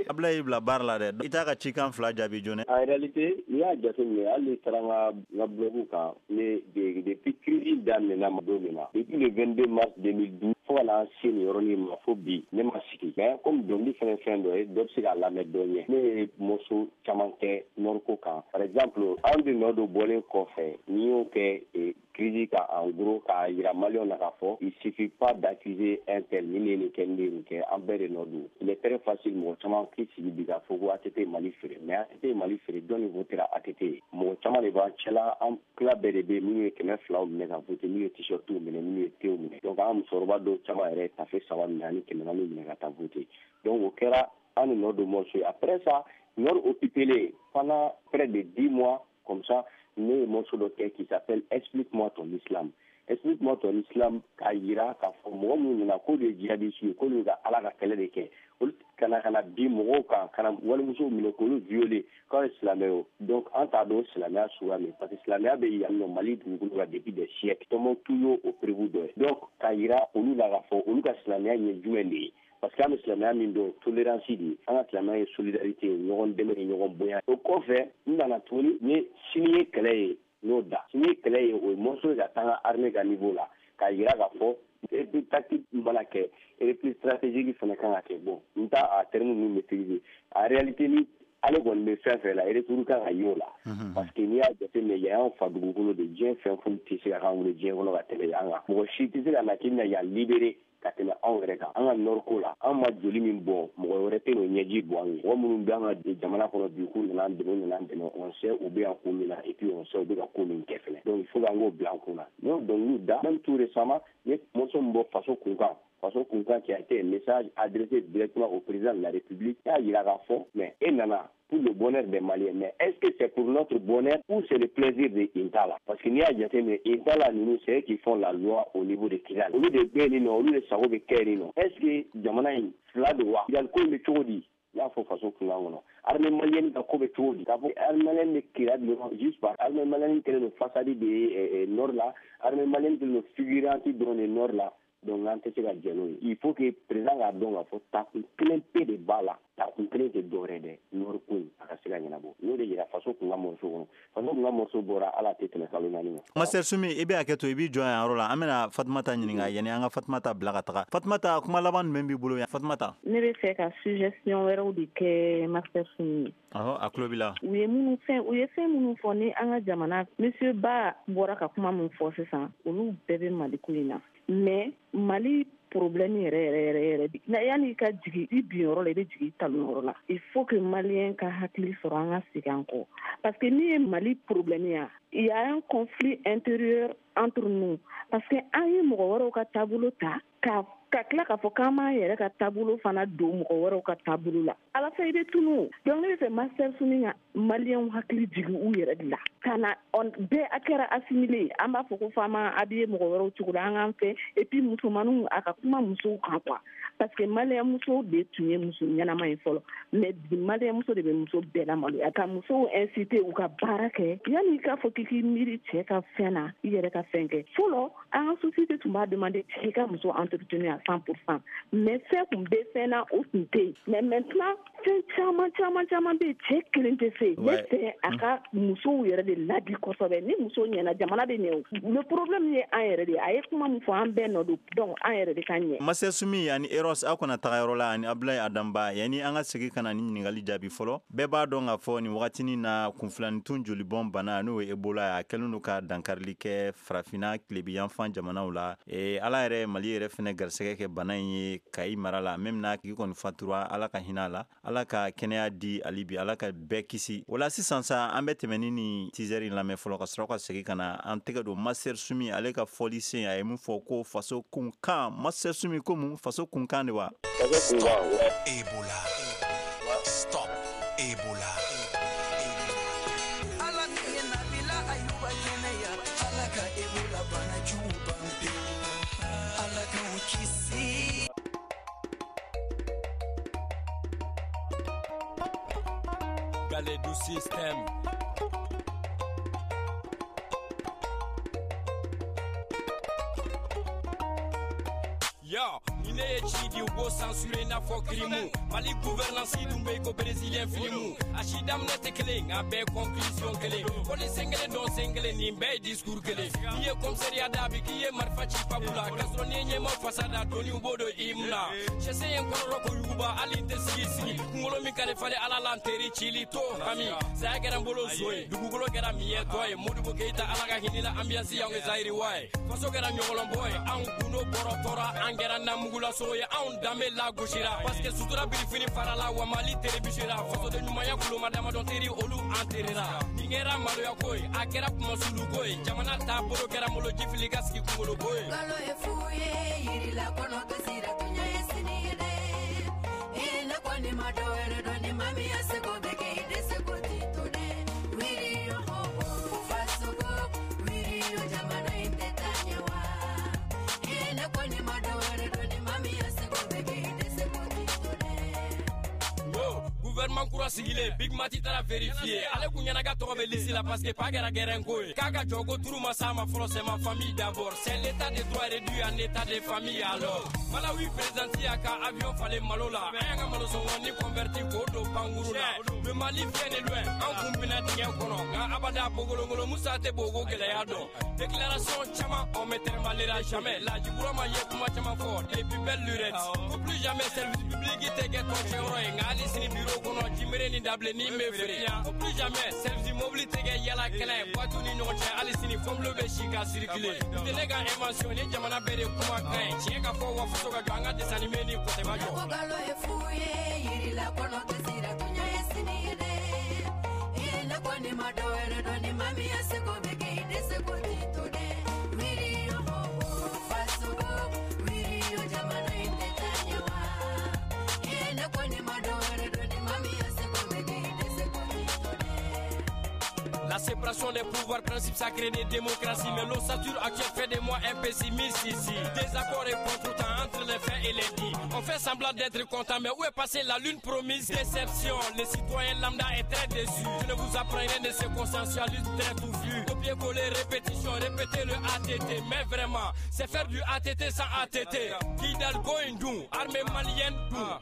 Speaker 2: Abdoulaye y'i bila baara la dɛ, i t'a ka cikan fila jaabi joona.
Speaker 5: En réalité, n'i y'a jateminɛ, hali n'i taara n ka n ka blog kan, ne depuis crise daminɛna don min na, depuis le vingt-deux mars deux mille douze fo ka na se nin yɔrɔnin ma fo bi, ne ma sigi. Mais comme dɔnkili fɛnɛ fɛn dɔ ye, dɔ bɛ se k'a lamɛn dɔ ɲɛ. Ne ye morceau caman kɛ nord ko kan. Par exemple, anw de nɔ dɔ bɔlen kɔfɛ, n'i y'o kɛ crise kan, en gros k'a yira maliyɛnw na k'a fɔ il suffit pas d'accuser un tel, nin de ye nin kɛ, nin de ye nin kɛ, an bɛɛ de nɔ don. Il est très facile mɔgɔ caman k'i sigi bi k'a fɔ ko A T T ye Mali feere. Mais A T T ye Mali feere, jɔn de votera A T T ye? Mɔgɔ caman de b'an cɛla, an tila bɛɛ de bɛ yen, minnu ye kɛmɛ filaw minɛ ka voter, minnu ye t-shirtiw minɛ, minnu ye tew minɛ. Donc an musokɔrɔba dɔw caman yɛrɛ ye tafe saba minɛ ani kɛmɛ naani minɛ ka taa voter. Donc o kɛra an ni nɔ don morceau ye. Après ça, nord occupé pendant près de dix mois comme ça, ne ye morceau dɔ kɛ qui s'appelle Explique-moi ton islam. Explique-moi ton islam, k'a yira k'a fɔ mɔgɔ minnu nana k'olu ye jihadiste ye, k'olu ka Ala ka kɛlɛ de kɛ, olu ka na ka na bin mɔgɔw kan, ka na walimusow minɛ k'olu violer k'aw ye silamɛ ye. Donc an t'a dɔn silamɛya suguya min, parce que silamɛya bɛ yan nɔ Mali dugukolo kan depuis des siècles. Tombouctou y'o o preuve dɔ ye. Donc k'a yira olu la k'a fɔ olu ka silamɛya ye jumɛn de ye, parce que an bɛ silamɛya min dɔn, tolérance de ye, an ka silamɛya ye solidarité ye, ɲɔgɔn dɛmɛ ni ɲɔgɔn bonya. O kɔfɛ n nana tuguni n ye sini ye kɛlɛ ye, n'o da sini ye kɛlɛ ye, o ye morceau ye ka taa an ka armée ka niveau la, k'a yira k'a fɔ repli tactique mana kɛ, repli stratégique fana kan ka kɛ. Bon, n t'a a terme ninnu maîtriser en réalité, ni ale kɔni bɛ fɛn fɛn la, retour kan ka y'o la, parce que n'i y'a jateminɛ, yan y'anw fa dugukolo de, diɲɛ fɛn foyi tɛ se ka k'an bolo diɲɛ kɔnɔ ka tɛmɛ yan kan. Mɔgɔ si tɛ se ka na k'i bɛna yan libérer ka tɛmɛ anw yɛrɛ kan. An ka nord ko la, an ma joli min bɔn, mɔgɔ wɛrɛ tɛ n'o ɲɛji bɔ an ye. Mɔgɔ minnu bɛ an ka jamana kɔnɔ bi k'u nana an dɛmɛ, u nana an dɛmɛ, on sait u bɛ yan ko min na, et puis on sait u bɛ ka ko min kɛ fɛnɛ. Donc il faut k'an k'o bila an kun na. N y'o dɔnkiliw da, même tout récemment n ye morceau min bɔ Faso Kunkan, Faso Kunkan qui a été un message adressé directement au président de la République, y'a yira k'a fɔ mais e nana pour le bonheur des Maliens, mais est-ce que c'est pour notre bonheur ou c'est le plaisir de Intala? Parce que n'i y'a jateminɛ, Intala ninnu, c'est eux qui font la loi au niveau de Kidal. Olu de bɛ yen nɔ, olu de sago bɛ kɛ yen nɔ. Est-ce que jamana in fila don wa? Kidal ko in bɛ cogo di? N y'a fɔ Faso Kunkan kɔnɔ. Armée malienne ka ko bɛ cogo di? K'a fɔ armée malienne bɛ Kidal dɔrɔn juste par armée malienne kɛlen don façade de ye nord la, armée malienne kɛlen don figurante dɔrɔn de nord la. Donc an tɛ se ka jɛn n'o ye. Il faut que président k'a dɔn k'a fɔ takun kelen pe de b'a la, takun kelen tɛ dɔwɛrɛ dɛ, nord ko in a ka se ka ɲɛnabɔ. N y'o de yira Faso Kunkan morceau kɔnɔ. Faso Kunkan morceau bɔra ala tɛ tɛmɛ kalo naani kan.
Speaker 2: Master Sumi, i bɛ hakɛ to, i b'i jɔ yan yɔrɔ la. An bɛna Fatumata ɲininka yanni an ka Fatumata bila ka taga. Fatumata, kuma laban jumɛn b'i bolo yan Fatumata?
Speaker 8: Ne bɛ fɛ ka suggestion wɛrɛw de kɛ Master Sumi ye.
Speaker 2: Ɔhɔ, a tulo b'i la.
Speaker 8: U ye minnu fɛn u ye fɛn minnu fɔ ni an ka jamana, monsieur Ba bɔra ka kuma min fɔ sisan, olu bɛɛ bɛ Mali ko in na. Mais Mali problème yɛrɛ yɛrɛ yɛrɛ yɛrɛ, yanni i ka jigin i bin yɔrɔ la, i bɛ jigin i talon yɔrɔ la. Il faut que Malien ka hakili sɔrɔ an ka segin an kɔ, parce que n'i ye Mali problème ye, il y a un conflit intérieur entre nous, parce que an ye mɔgɔ wɛrɛw ka taabolo ta ka ka tila k'a fɔ k'an b'an yɛrɛ ka taabolo fana don mɔgɔ wɛrɛw ka taabolo la, ala fɛ i bɛ tunu. Donc ne bɛ fɛ Master Sumi ka Maliyɛnw hakili jigin u yɛrɛ de la, ka na bɛɛ a kɛra assimilé, an b'a fɔ ko f'an ma habillé mɔgɔ wɛrɛw cogo la, an k'an fɛ. Et puis musomaninw, a ka kuma musow kan quoi, parce que Maliyɛn muso de tun ye muso ɲɛnama ye fɔlɔ, mais bi Maliyɛn muso de bɛ muso bɛɛ lamaloya, ka musow inciter u ka baara kɛ. Yanni i k'a fɔ k'i k'i miiri cɛ ka fɛn na, i yɛrɛ ka fɛn kɛ. Fɔlɔ an ka société tun b'a demander cɛ ka muso entretenir à cent pour cent, mais fɛn kun bɛ fɛn na o tun tɛ yen. Mais maintenant fɛn caman caman caman bɛ yen, cɛ kelen tɛ se. Ne fɛ a ka musow yɛrɛ de ladi kosɛbɛ. Ni muso ɲɛna, jamana bɛ ɲɛ. O le problème ye an yɛrɛ de ye. A ye kuma min fɔ, an bɛɛ nɔ don, donc an yɛrɛ de ka ɲɛ.
Speaker 2: Master Sumi ani Eros, aw kana taga yɔrɔ la, ani Abdoulaye Adamba, yanni an ka segin ka na ni ɲininkali jaabi fɔlɔ. Bɛɛ b'a dɔn k'a fɔ nin wagatinin na kunfilanitun jolibɔn bana, n'o ye Ebola ye, a kɛlen don ka dankarili kɛ farafinna tilebiyanfan jamanaw la. E, ala yɛrɛ Mali yɛrɛ fɛnɛ garisɛgɛ kɛ bana in ye Kayi mara la, même n'a tigi kɔni fatura, ala ka hinɛ a la, ala ka kɛnɛya di ali bi, ala ka bɛɛ kisi. O la sisan sa, an bɛ tɛmɛ ni nin teaser in lamɛn fɔlɔ, ka sɔrɔ ka segin ka na an tɛgɛ don Master Sumi ale ka fɔli sen. A ye mun fɔ ko Faso Kunkan? Master Sumi ko mun? Faso Kunkan de wa?
Speaker 5: Faso Kunkan.
Speaker 4: Ebola. Stop Ebola. Ala ni Nabila Ayuba kɛnɛya, ala ka Ebola bana jugu ban pewu, ala k'anw kisi.
Speaker 3: Galets du système. Yo, ni ne ye ci di, u b'o censuré n'a fɔ kirimu. Mali gouvernance dun bɛ i ko brésilien filimu. A si daminɛ tɛ kelen, nka bɛɛ conclusion kelen. Ko ni sen kelen dɔn sen kelen, nin bɛɛ ye discours kelen. N'i ye commissariat da, bi k'i ye marifa ci pabu la. K'a sɔrɔ n'i ye ɲɛmaw fasa da, doni b'o don i mun na. Sɛsɛ ye n kɔnɔrɔ ko yuguba, hali n tɛ sigi sigi. Kunkolo min ka di falen ala la, n teri cili to hami. Saya kɛra n bolo zo ye, dugukolo kɛra miɲɛtɔ ye. Modibo Keyita, ala ka hinɛ la, ambiance y'anw kɛ Zayiriwa ye. Faso kɛra ɲɔgɔlɔnbɔ ye, anw gundo bɔrɔ tɔra, an kɛra namugulaso ye, anw danbe lagosira. Parce que sutura birifini farala, wa Mali terebisera. Fasoden ɲumanya kuloma damadɔn teri, olu an terera. Nin kɛra maloya ko ye, a kɛra kumasulu ko ye. Jamana taabolo kɛra malo jifili ka sigi kunkolo ko ye.
Speaker 9: Balo ye fu ye, yirila kɔnɔ kasira, tunya ye sini ye dɛ. E ne kɔni ma dɔ wɛrɛ dɔn, ni maa min ya seko bɛ kɛ, i dɛsɛ ko ti to dɛ. Wiri yo ho ho, fasogo, wiri yo jamana in tɛ taa ɲɛ wa. E ne kɔni ma dɔ wɛrɛ dɔn, ni maa min ya seko bɛ kɛ, i dɛsɛ ko ti to dɛ.
Speaker 3: Gouvernement kura sigilen Big Mati taara vérifier. Ale kun ɲɛna ka tɔgɔ bɛ liste la parce que pas kɛra gɛrɛn ko ye. K'a ka jɔ ko turu ma s'a ma fɔlɔ, c'est ma famille d'abord. C'est l'état de droit réduit en état de famille alors. Malawi président y'a ka avion falen malo la. An y'an ka malo sɔngɔ ni converti k'o don pankuru la. Le Mali vient de loin, an kun bina dingɛ kɔnɔ. Nka abada bogolongolo Musa tɛ bogo gɛlɛya dɔn. Déclaration caman, on me tɛrɛmalera jamais. Laji Burama ye kuma caman fɔ depuis belle lurette. Ko plus jamais service public tɛ kɛ tɔncɛyɔrɔ ye. Nka hali sini bureau kɔnɔ jimere ni dabilenni bɛ feere. Ko plus jamais service mobili tɛ kɛ yala kɛnɛ ye. Boîte ni ɲɔgɔn cɛ hali sini fɔnbilo bɛ si ka circuler. Tɛ ne ka invention ni jamana bɛɛ de kuma kan ye. Tiɲɛ ka fɔ wa faso ka jɔ an ka dessin animé ni kɔtɛma jɔ.
Speaker 9: Ko galo ye fu ye yirila kɔnɔ tɛ sira tunya ye sini ye dɛ. E ne kɔni ma dɔ wɛrɛ dɔn ni maa min ya seko bɛ kɛ i dɛsɛ ko t'i to dɛ. Wiri yo ho faso ko wiri yo jamana in tɛ taa ɲɛ wa. E ne kɔni ma dɔ wɛrɛ dɔn ni maa min ya seko bɛ kɛ i dɛsɛ ko t'i to dɛ.
Speaker 3: La séparation des pouvoirs, principe sacré des démocraties. Mais l'ossature actuelle fait de moi un pessimiste ici. Désaccord et contretemps entre les faits et les dits. On fait semblant d'être content, mais où est passée la lune promise? Déception, le citoyen lambda est très déçu. Je ne vous apprends rien de ce consensualisme très touffu. Copier-coller, répétition, répéter le A T T. Mais vraiment, c'est faire du A T T sans A T T. Kidal Goindou, armée malienne,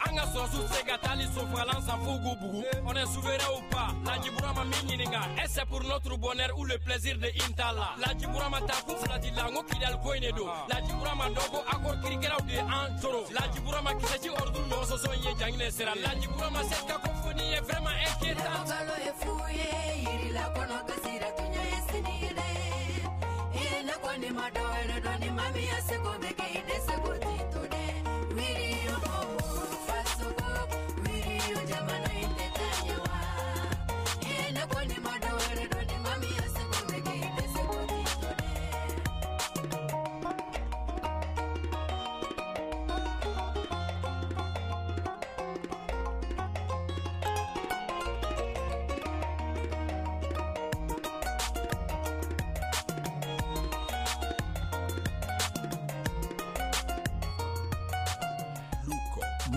Speaker 3: Anga Sorsou, Segatali, Sofalan, Sanfougou, Bougou. On est souverain ou pas? Ladji Burama Mininga, est-ce pour notre bonheur ou le plaisir de Intala? Ladji Burama Takou Fladila, Ngo Kidal Goinedo. Ladji Burama Dogo, Akor Kirikera ou de Antoro. Ladji Burama Kisachi Ordu, Nososo Ye Jangne Sera. Ladji Burama, cette cacophonie est vraiment inquiétante.
Speaker 9: Galo ye fu ye yirila kɔnɔ tɛ sira tunya ye sini ye dɛ. E ne kɔni ma dɔ wɛrɛ dɔn ni maa min ya seko bɛ kɛ i dɛsɛ ko t'i to dɛ. Wiri yo ho faso ko wiri yo jamana in tɛ taa ɲɛ wa. E ne kɔni ma dɔ wɛrɛ dɔn ni maa min ya seko bɛ kɛ i dɛsɛ ko t'i to dɛ.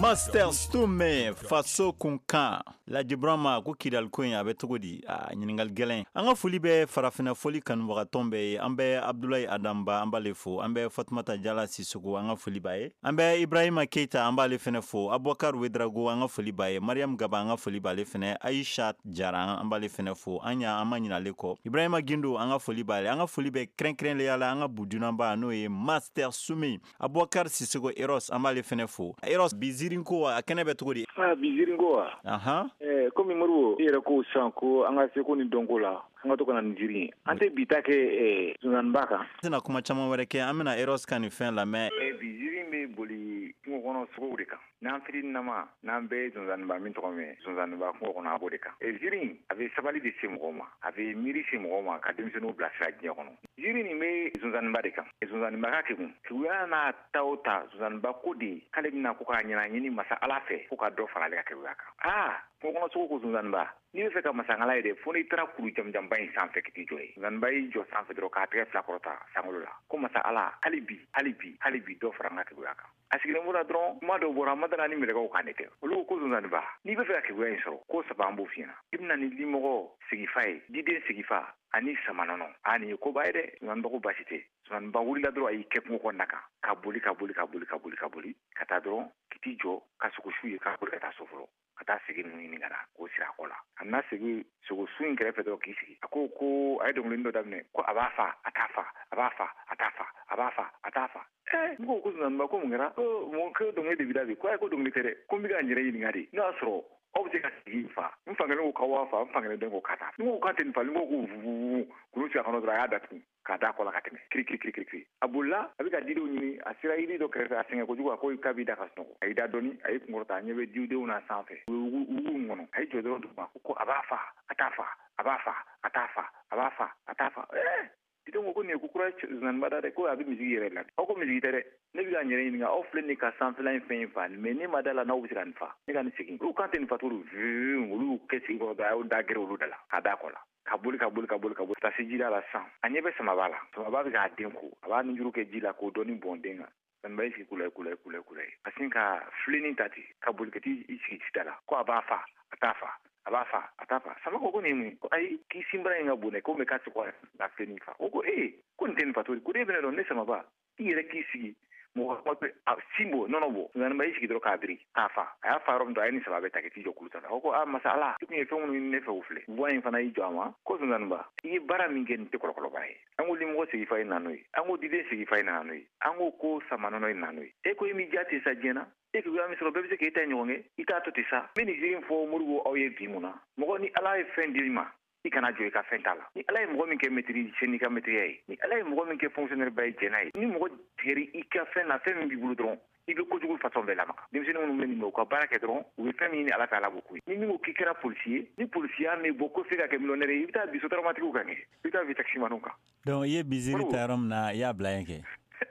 Speaker 2: Master Stume faso kunkan. Ladji Burama ko Kidal ko in a bɛ cogo di? A ɲininkali gɛlɛn. An ka foli bɛ farafinna foli kanubagatɔn bɛɛ ye. An bɛ Abdoulaye Adamba an b'ale fo. An bɛ Fatumata Jala Sisoko an ka foli b'a ye. An bɛ Ibrahima Keita an b'ale fɛnɛ fo. Abubakar Wedrago an ka foli b'a ye. Mariam Gaba an ka foli b'ale fɛnɛ. Aisha Jara an b'ale fɛnɛ fo. An y'a an ma ɲinɛ ale kɔ. Ibrahima Gindo an ka foli b'ale. An ka foli bɛ kɛrɛnkɛrɛnnenya la an ka budunanba n'o ye Master Sumi. Abubakar Sisoko Eros an b'ale fɛnɛ fo. Eros bi zirinko a kɛnɛ bɛ cogo di?
Speaker 6: Ah bi zirinko wa?
Speaker 2: Ahan.
Speaker 6: Eh, komi Moribo i yɛrɛ ko sisan ko an ka seko ni dɔnko la an ka to ka na ni jiri ye. An tɛ bi ta kɛ zonzanniba kan.
Speaker 2: An tɛna kuma caman wɛrɛ kɛ, an bɛna Eros ka nin fɛn lamɛn.
Speaker 6: Eh, bi jiri bɛ boli kungo kɔnɔ sogow de kan. N'an fitininama n'an bɛɛ ye zonzanniba min tɔgɔ mɛn, zonzanniba kungo kɔnɔ a b'o de kan. Eh, jiri in a bɛ sabali de se mɔgɔw ma, a bɛ miiri se mɔgɔw ma ka denmisɛnninw bilasira diɲɛ kɔnɔ. Jiri nin bɛ zonzanniba de kan. Zonzanniba ka kegun. Keguya n'a ta o ta, zonzanniba ko de k'ale bɛna ko k'a ɲɛna ɲini masa Ala fɛ ko ka dɔ fara ale ka keguya kan. Aa kungo kɔnɔ sogo ko zonzanniba, n'i bɛ fɛ ka masaŋala ye dɛ, fo n'i taara kuru jamujanba in sanfɛ k'i jɔ ye. Zonzanniba y'i jɔ sanfɛ dɔrɔn k'a tɛgɛ fila kɔrɔta sankolo la. Ko masa Ala, hali bi, hali bi, hali bi dɔ fara n ka keguya kan. A sigilen b'o la dɔrɔn, kuma dɔw bɔra, ma dala ni mɛlɛkɛw kan de tɛ. Olu ko ko zonzanniba, n'i bɛ fɛ ka keguya in sɔrɔ, ko saba an b'o f'i ɲɛna. I bɛna ni limɔgɔ sigifa ye, diden sigifa ani samanɔnɔ. A nin ye koba ye dɛ. Zonzanniba ko baasi tɛ. Zonzanniba wulila dɔrɔn a y'i kɛ kungo kɔnɔna kan, ka boli ka boli ka boli ka boli ka boli ka taa dɔrɔn k'i t'i jɔ ka sogosu ye k'a boli ka taa so fɔlɔ. Ka taa segi ninnu ɲini ka na k'o siri a kɔ la. A nana segi sogosu in kɛrɛfɛ dɔrɔn k'i sigi. A ko ko a ye dɔnkilinin dɔ daminɛ ko a b'a fa a t'a fa, a b'a fa a t'a fa, a b'a fa a t'a fa. Eh, n ko ko zonzanniba ko mun kɛra? Ko mun ko dɔnkili de b'i da bi? Ko ayi ko dɔnkili tɛ dɛ. Ko n bɛ ka n yɛrɛ ɲininka de. N'o y'a sɔrɔ aw bɛ se ka sigi fa. N fan kelen ko k'aw b'a fa, n fan kelen den ko k'a t'a fa. N ko k'a tɛ nin fa, n ko ko vuvuvu. Kulu sigi a kɔnɔ dɔrɔn a y'a datugu k'a da kɔ la ka tɛmɛ. Kiri kiri kiri kiri kiri. A bolila, a bɛ ka didenw ɲini, a sera yiri dɔ kɛrɛfɛ, a sɛgɛn kojugu, a ko k'a b'i da ka sunɔgɔ. A y'i da dɔɔni, a y'i kunkɔrɔta, a ɲɛ bɛ didenw na sanfɛ. U ye wugu in kɔnɔ. A y'i jɔ dɔrɔn duguma, ko a b'a fa, a t'a fa, a b'a fa, a t'a fa, a b'a fa, a t'a fa. Eh! Didenw ko ko nin ye ko kura zonzanniba da dɛ, ko a bɛ misigi yɛrɛ la. Aw ko misigi tɛ dɛ. Ne bɛ ka n yɛrɛ ɲininka, aw filɛ nin ka sanfɛla in fɛn in fa, mais ne ma da la n'aw bɛ se ka nin fa. Ne ka nin segin. Olu kan tɛ nin fa cogo di? Olu kɛ sigi kɔrɔ dɔrɔn, a y'o da gɛrɛ olu da la, k'a da kɔ la. Ka boli ka boli ka boli ka boli ka se ji da la sisan. A ɲɛ bɛ samaba la. Samaba bɛ k'a den ko. A b'a nunjuru kɛ ji la k'o dɔɔni bɔn den kan. Sonzaniba y'i sigi kula kula kula kula ka sin ka filenin ta ten ka boli ka t'i sigi sida la ko a b'a fa a t'a fa a b'a fa a t'a fa. Sama ko ko nin ye mun ye? Ko ayi, k'i sinbara in ka bon dɛ, ko mɛ k'a tɛ ka filenin fa. O ko ee, ko nin tɛ nin fa cogo di? Ko e bɛna dɔn ne Samaba, i yɛrɛ k'i sigi mɔgɔ kuma tɛ a sin bɔ nɔnɔ bɔ. Sonzaniba y'i sigi dɔrɔn k'a biri k'a fa. A y'a fa yɔrɔ min dɔrɔn, a ye nin saba bɛɛ ta k'i jɔ kulu sanfɛ. A ko ko a masa Ala, i kun ye fɛn minnu ɲini ne fɛ o filɛ. Buwa in fana y'i jɔ a ma ko Sonzaniba, i ye baara min kɛ nin tɛ kɔlɔkɔlɔ baara ye. An ko limɔgɔ sigi fa ye na n'o ye, an ko diden sigi fa ye nana n'o ye, an ko ko sama nɔnɔ ye na n'o ye. E ko i m'i ja ten sa diɲɛ na, e ko i sɔrɔ bɛɛ bɛ se k'e ta ɲɔgɔn kɛ, i t'a to ten sa. N bɛ nin ziiri fɔ Modibo aw ye bi mun na? Mɔgɔ ni Ala ye fɛn di i ma, i kana jɔ i ka fɛn t'a la. Ni Ala ye mɔgɔ min kɛ maîtrise n'i ka maîtrise ye, ni Ala ye mɔgɔ min kɛ fonctionnaire ba ye jɛn'a ye, ni mɔgɔ tigɛri i ka fɛn na, fɛn min b'i bolo dɔrɔn, i bɛ kojugu façon bɛɛ lamaga. Denmisɛnnin minnu bɛ nin u ka baara kɛ dɔrɔn, u bɛ fɛn min ɲini Ala fɛ, Ala b'o k'u ye. Ni min ko k'i kɛra policier ye, ni policiya m'i bɔ ko f'e ka kɛ millionnaire ye, i bɛ taa bi sotaramatigiw kan kɛ, i bɛ taa bi taximaniw kan.
Speaker 2: Donc i ye biziri ta yɔrɔ min na, i y'a bila yen kɛ.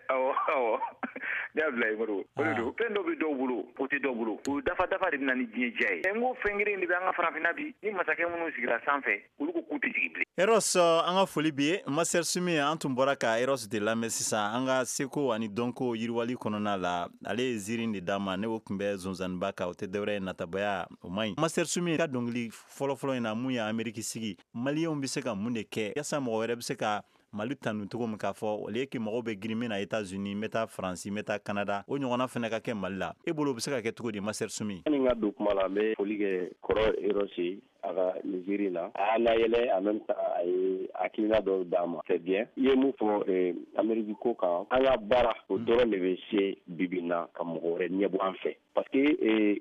Speaker 6: Awɔ awɔ, ne y'a bila yen Modibo. O de don, fɛn dɔ bɛ dɔw bolo, o tɛ dɔw bolo. O dafa dafa de bɛ na ni diɲɛ diya ye. N ko fɛn kelen de bɛ an ka farafinna bi, ni masakɛ minnu sigira sanfɛ, olu ko k'u tɛ jigin bilen.
Speaker 2: Eros, an ka foli b'i ye. Master Sumi, an tun bɔra ka Eros de lamɛn sisan an ka seko ani dɔnko yiriwali kɔnɔna la. Ale ye ziiri de d'a ma, ne o tun bɛ Sonzaniba kan, o tɛ dɔwɛrɛ ye natabaya, o man ɲi. Master Sumi ka dɔnkili fɔlɔfɔlɔ in na, mun ye Ameriki sigi, maliyɛnw bɛ se ka mun de kɛ yasa mɔgɔ wɛrɛ bɛ se ka Mali tanu cogo min k'a fɔ au lieu que mɔgɔw bɛ girin min na États-Unis, n bɛ taa Faransi, n bɛ taa Canada, o ɲɔgɔnna fana ka kɛ Mali la. E bolo o bɛ se ka kɛ cogo di, Master Sumi?
Speaker 5: Yanni n ka don kuma la, n bɛ foli kɛ kɔrɔ Eros ye a ka nin ziiri la. A y'a layɛlɛ, en même temps a ye hakilina dɔw d'a ma. C'est bien. I ye mun fɔ Amérique ko kan, an ka baara o dɔrɔn de bɛ se bibi in na ka mɔgɔ wɛrɛ ɲɛbɔ an fɛ. Parce que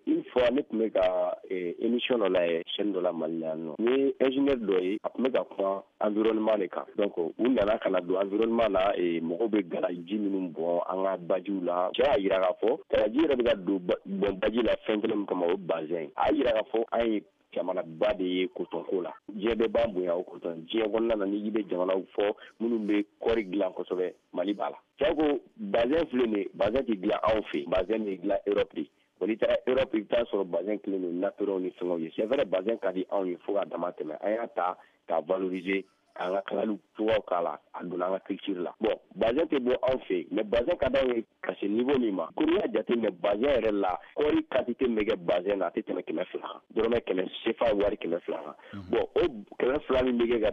Speaker 5: une fois ne tun bɛ ka émission dɔ lajɛ chaîne dɔ la Mali la yan nɔ, n ye ingénieur dɔ ye, a tun bɛ ka kuma environnement de kan. Donc u nana ka na don environnement na, mɔgɔw bɛ galaji minnu bɔn an ka bajiw la. Cɛ y'a jira k'a fɔ galaji yɛrɛ bɛ ka don bɔn baji la fɛn kelen min kama, o ye bazin ye. A y'a jira k'a fɔ an ye jamanaba de ye kotɔnko la. Diɲɛ bɛɛ b'an bonya o kotɔn. Diɲɛ kɔnɔna na, n'i bɛ jamanaw fɔ minnu bɛ kɔɔri dilan kosɛbɛ, Mali b'a la. Cɛ ko bazin filɛ nin ye, bazin tɛ dilan anw fɛ yen, bazin bɛ dilan Europe de. Bon, n'i taara Europe, i bɛ taa sɔrɔ bazin kelen don napperonw ni fɛngɛw ye. C'est vrai, bazin ka di anw ye fo k'a dama tɛmɛ. An y'a ta k'a valoriser, k'an ka kalaliw cogoyaw k'a la, a donna an ka culture la. Bon, bazin tɛ bɔ anw fɛ yen, mais bazin ka d'anw ye ka se niveau min ma. Ko n'i y'a jateminɛ bazin yɛrɛ la, kɔɔri quantité min bɛ kɛ bazin na, a tɛ tɛmɛ kɛmɛ fila kan. Dɔrɔmɛ kɛmɛ C F A wari kɛmɛ fila kan. Bon, o kɛmɛ fila min bɛ kɛ ka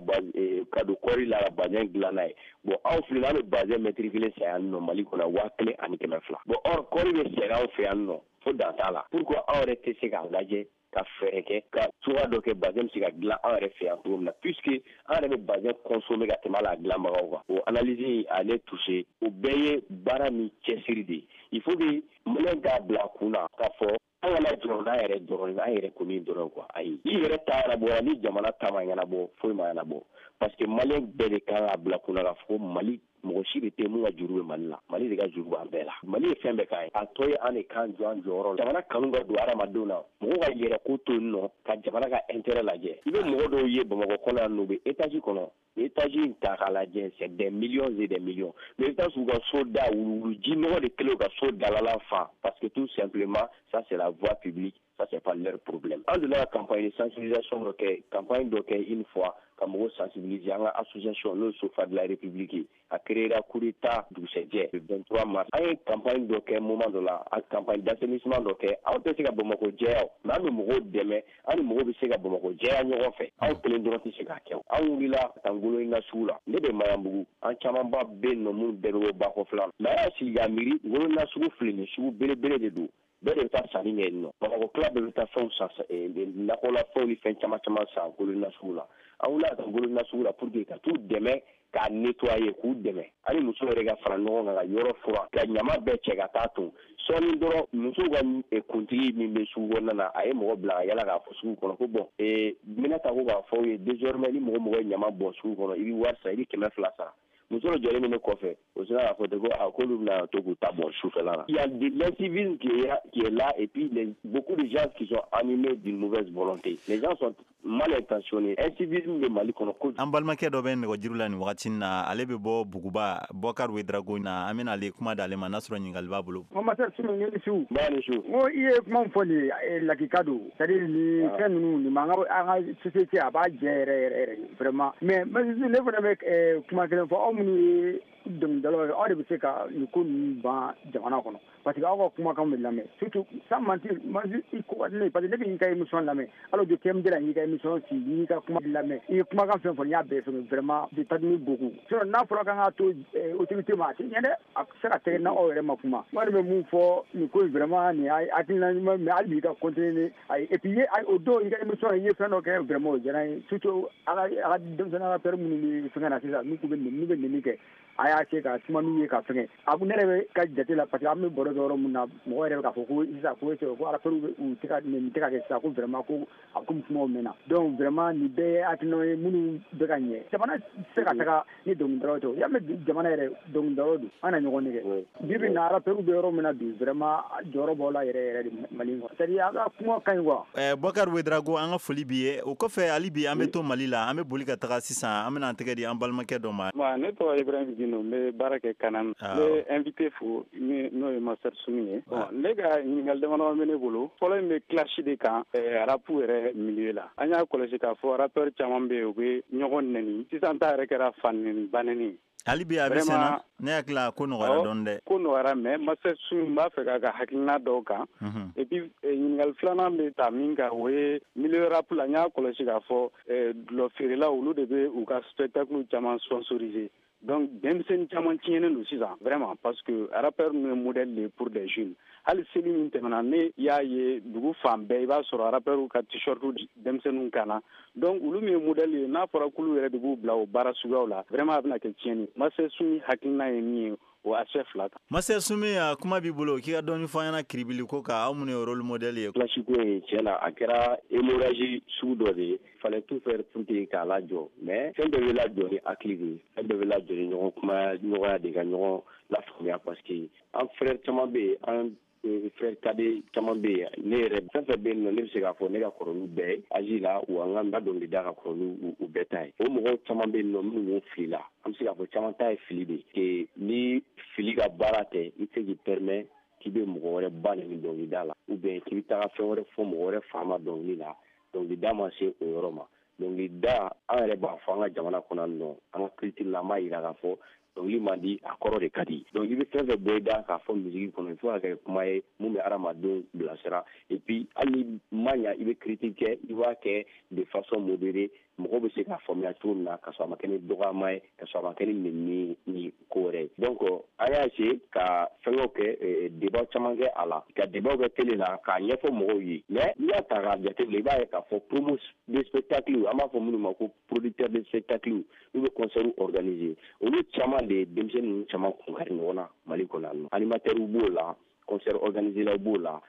Speaker 5: ka don kɔɔri la ka bazin dilan n'a ye. Bon, anw filɛ, an bɛ bazin mètre kelen san yan nɔ Mali kɔnɔ waa kelen ani kɛmɛ fila. Bon, or kɔɔri bɛ sɛnɛ anw fɛ yan nɔ fo dan t'a la. Pourquoi anw yɛrɛ tɛ se k'a lajɛ ka fɛɛrɛ kɛ ka cogoya dɔ kɛ bazin bɛ se ka dilan an yɛrɛ fɛ yan cogo min na, puisque an yɛrɛ bɛ bazin consommer ka tɛmɛ hali a dilanbagaw kan. O analyse a ne touché. O bɛɛ ye baara ni cɛsiri de ye. Il faut que maliyɛn k'a bila a kun na k'a fɔ an kana jɔrɔ n'an yɛrɛ dɔrɔn, an yɛrɛ kɔni dɔrɔn quoi. Ayi, i yɛrɛ ta ɲɛnabɔra, ni jamana ta ma ɲɛnabɔ, foyi ma ɲɛnabɔ. Parce que maliyɛn bɛɛ de kan k'a bila kunna k'a fɔ ko Mali, mɔgɔ si de tɛ mun ka juru bɛ Mali la. Mali de ka juru b'an bɛɛ la. Mali ye fɛn bɛɛ k'an ye, a tɔ ye an de k'an jɔ an jɔyɔrɔ la. Jamana kanu ka don hadamadenw na, mɔgɔw ka yɛrɛ ko to yen nɔ ka jamana ka intérêt lajɛ. I bɛ mɔgɔ dɔw ye Bamakɔ kɔnɔ yan nɔ, u bɛ étage kɔnɔ. Ni étage in ta k'a lajɛ, c'est des millions et des millions, mais i bɛ taa sɔrɔ u ka so da wuluwulu ji nɔgɔ de kɛlen ka so dalala fa, parce que tout simplement ça, c'est la voie publique, ça, c'est pas leur problème. An delila ka campagne de sensibilisation dɔ kɛ, campagne dɔ kɛ une fois ka mɔgɔw sensibiliser. An ka association, n'o ye Sofa de la République ye, a créé coup d'état dugusɛjɛ le vingt-trois mars. An ye campagne dɔ kɛ moment dɔ la, a campagne d'assainissement dɔ kɛ. Anw tɛ se ka Bamakɔ jɛya o, mais an bɛ mɔgɔw dɛmɛ, an ni mɔgɔw bɛ se ka Bamakɔ jɛya ɲɔgɔn fɛ. Anw kelen dɔrɔn tɛ se k'a kɛ. Anw wulila ka taa Ngolonina sugu la. Ne bɛ Maɲanbugu, an camanba bɛ yen nɔ minnu bɛɛ bɛ bɔ Bakɔfila la. Mais an y'a sigi k'a miiri, Ngolonina sugu filɛ nin ye, sugu belebele de don, bɛɛ de bɛ taa sanni kɛ yen nɔ. Bamakɔ tila bɛɛ bɛ taa fɛnw san, nakɔlafɛnw ni fɛn caman caman san Ngolonina sugu la. An wulila ka taa Ngolonina sugu la pour que ka t'u dɛmɛ k'a nettoyer, k'u dɛmɛ ani musow yɛrɛ ka fara ɲɔgɔn kan ka yɔrɔ furan, ka ɲama bɛɛ cɛ ka taa ton. Sɔɔni dɔrɔn, musow ka kuntigi min bɛ sugu kɔnɔna na, a ye mɔgɔ bila ka yala k'a fɔ sugu kɔnɔ ko bon, ee bɛna ta ko k'a fɔ aw ye, désormais ni mɔgɔ mɔgɔ ye ɲama bɔn sugu kɔnɔ, i bɛ wari sara, i bɛ kɛmɛ fila sara. Muso dɔ jɔlen bɛ ne kɔfɛ, o sera k'a fɔ ten ko a k'olu bɛna to k'u ta bɔn sufɛla la. Il y a de l'incivisme qui est, qui est là, et puis les, beaucoup de gens qui sont animés d'une mauvaise volonté. Les gens sont mal intentionnés. Incivisme bɛ Mali kɔnɔ kojugu.
Speaker 2: An balimakɛ dɔ bɛ nɛgɛjuru la nin wagati in na, ale bɛ bɔ Buguba, Bɔkari Wedrago na. An bɛna ale kuma d'ale ma n'a sɔrɔ ɲininkali b'a bolo.
Speaker 11: Master Sumi, ni su.
Speaker 5: Ba ni su.
Speaker 11: N ko i ye kuma min fɔ nin ye, lakika don. C'est à dire nin fɛn ninnu nin b'an ka an ka société a b'a jɛ yɛrɛ yɛrɛ yɛrɛ vraiment. Mais ne fana bɛ kuma kelen fɔ aw minnu ye dɔnkilidalaw ye, aw de bɛ se ka nin ko ninnu ban jamana kɔnɔ, parce que aw ka kumakan bɛ lamɛn, surtout sans mentir, i ko ka di ne ye, parce que ne bɛ i ka émission lamɛn, hali o T M D la, n y'i ka émission sigi, n y'i ka kuma lamɛn, i ye kumakan fɛn fɔ, n y'a bɛɛ fɛngɛ, vraiment je t'admire beaucoup. Sinon n'a fɔra k'an k'a to autorité ma, a tɛ ɲɛ dɛ, a tɛ se ka tɛgɛ n'aw yɛrɛ ma kuma. N kɔni bɛ mun fɔ nin ko in, vraiment nin ye hakilina ɲuman, mais hali bi i ka continuer ni ayi. Et puis o don i ka émission i ye fɛn dɔ kɛ, vraiment o diyara n ye, surtout a ka a ka denmisɛnnin rappeur minnu bɛ fɛngɛ na sisan, n'u bɛ n'u bɛ nɛni kɛ, a y'a se ka kuma n'u ye ka fɛngɛ. A ne yɛrɛ bɛ ka jate la, parce que an bɛ baro kɛ yɔrɔ min na, mɔgɔ yɛrɛ bɛ k'a fɔ ko sisan ko est ko rappeur u tɛ ka nɛni tɛ ka kɛ sisan, ko vraiment ko a komi kumaw mɛnna. Donc vraiment nin bɛɛ ye hakilinaw ye minnu bɛ ka ɲɛ. Jamana tɛ se ka taga ni dɔnkilidalaw tɛ, o y'a mɛn jamana yɛrɛ dɔnkilidalaw don, an na ɲɔgɔn nɛgɛ. Bi bi in na rappeur bɛ yɔrɔ min na bi, vraiment jɔyɔrɔ b'aw la yɛrɛ yɛrɛ de Mali kɔnɔ, c'est à dire a ka kuma ka ɲi quoi.
Speaker 2: Ɛɛ Bɔkari Wedrago, an ka foli b'i ye. O kɔfɛ hali bi an bɛ to Mali la, an bɛ boli ka taga sisan, an bɛna an tɛgɛ di an balimakɛ dɔ ma.
Speaker 12: Ne tɔgɔ Ibrahim Gindo, n bɛ baara kɛ Kanam. N bɛ invité fo, n'o ye Master Sumi ye. Bon, ne ka ɲininkali damadɔ bɛ ne bolo. Fɔlɔ in bɛ clash de kan rap yɛrɛ milieu la. An y'a kɔlɔsi k'a fɔ rappeur caman bɛ yen, u bɛ ɲɔgɔn nɛni. Sisan ta yɛrɛ kɛra fa nɛni ba nɛni.
Speaker 2: Hali bi a bɛ senna, ne hakili la ko nɔgɔyara dɔɔni dɛ.
Speaker 12: Ko nɔgɔyara, mais Master Sumi, n b'a fɛ k'a ka hakilina dɔw kan. Et puis ɲininkali filanan bɛ ta min kan, o ye milieu rap la, n y'a kɔlɔsi k'a fɔ dulɔ feerelaw, olu de bɛ u ka spectacle caman sponsoriser. Donc denmisɛnnin caman tiɲɛnen don sisan vraiment, parce que rappeur ninnu ye modèle de pour des jeunes. Hali seli min tɛmɛna, ne y'a ye dugu fan bɛɛ, i b'a sɔrɔ rappeur ka t-shirt denmisɛnninw kan na. Donc olu min ye modèle ye, n'a fɔra k'olu yɛrɛ de b'u bila o baara suguyaw la, vraiment a bɛna kɛ tiɲɛni. Master Sumi hakilina ye min ye o aspect fila kan.
Speaker 2: Master Sumi, a kuma b'i bolo, k'i ka dɔɔni fɔ an ɲɛna kiribili ko kan, aw minnu ye rôle modèle ye.
Speaker 5: Clash ko in, tiɲɛ na, a kɛra hémorragie sugu dɔ de ye. Fallait tout faire pour que k'a lajɔ, mais fɛn bɛɛ bɛ lajɔ ni hakili de ye, fɛn bɛɛ bɛ lajɔ ni ɲɔgɔn kuma ɲɔgɔnya de, ka ɲɔgɔn lafaamuya, parce que an frère caman bɛ yen, an frère cadet caman bɛ yen, ne yɛrɛ fɛn fɛn bɛ yen nɔ, ne bɛ se k'a fɔ ne ka kɔrɔ n'u bɛɛ ye âge la, wa n ka dɔnkili da ka kɔrɔ n'u u bɛɛ ta ye. O mɔgɔw caman bɛ yen nɔ minnu fili la, an bɛ se k'a fɔ caman ta ye fili de ye. Ni fili ka baara tɛ, i tɛ se k'i permet k'i bɛ mɔgɔ wɛrɛ ba nɛni dɔnkilida la, ou bien k'i bɛ taga fɛn wɛrɛ fɔ mɔgɔ wɛrɛ fa ma dɔnkili la. Dɔnkilida ma se o yɔrɔ ma. Dɔnkilida, an yɛrɛ b'a fɔ an ka jamana kɔnɔ nɔ, an ka culture la, an b'a yira k'a fɔ dɔnkili man di, a kɔrɔ de ka di. Donc i bɛ fɛn fɛn bɔ i da k'a fɔ musique kɔnɔ, il faut ka kɛ kuma ye mun bɛ hadamadenw bilasira. Et puis hali ni ma ɲa, i bɛ critique kɛ, i b'a kɛ de façon modérée, mɔgɔw bɛ se k'a faamuya cogo min na, ka sɔrɔ a ma kɛ ni dɔgɔyama ye, ka sɔrɔ a ma kɛ ni nɛni ni ko wɛrɛ ye. Donc an y'a essayer ka fɛngɛw kɛ, débat caman kɛ a la, ka débat kɛ télé la, k'a ɲɛfɔ mɔgɔw ye. Mais n'i y'a ta k'a jateminɛ, i b'a ye k'a fɔ promo de spectacle, an b'a fɔ minnu ma ko producteur de spectacle, n'u bɛ concert organiser, olu caman de ye denmisɛnnin ninnu caman kun kari ɲɔgɔn na Mali kɔnɔ yan nɔ. Animateurs b'o la, concert organiser b'o la,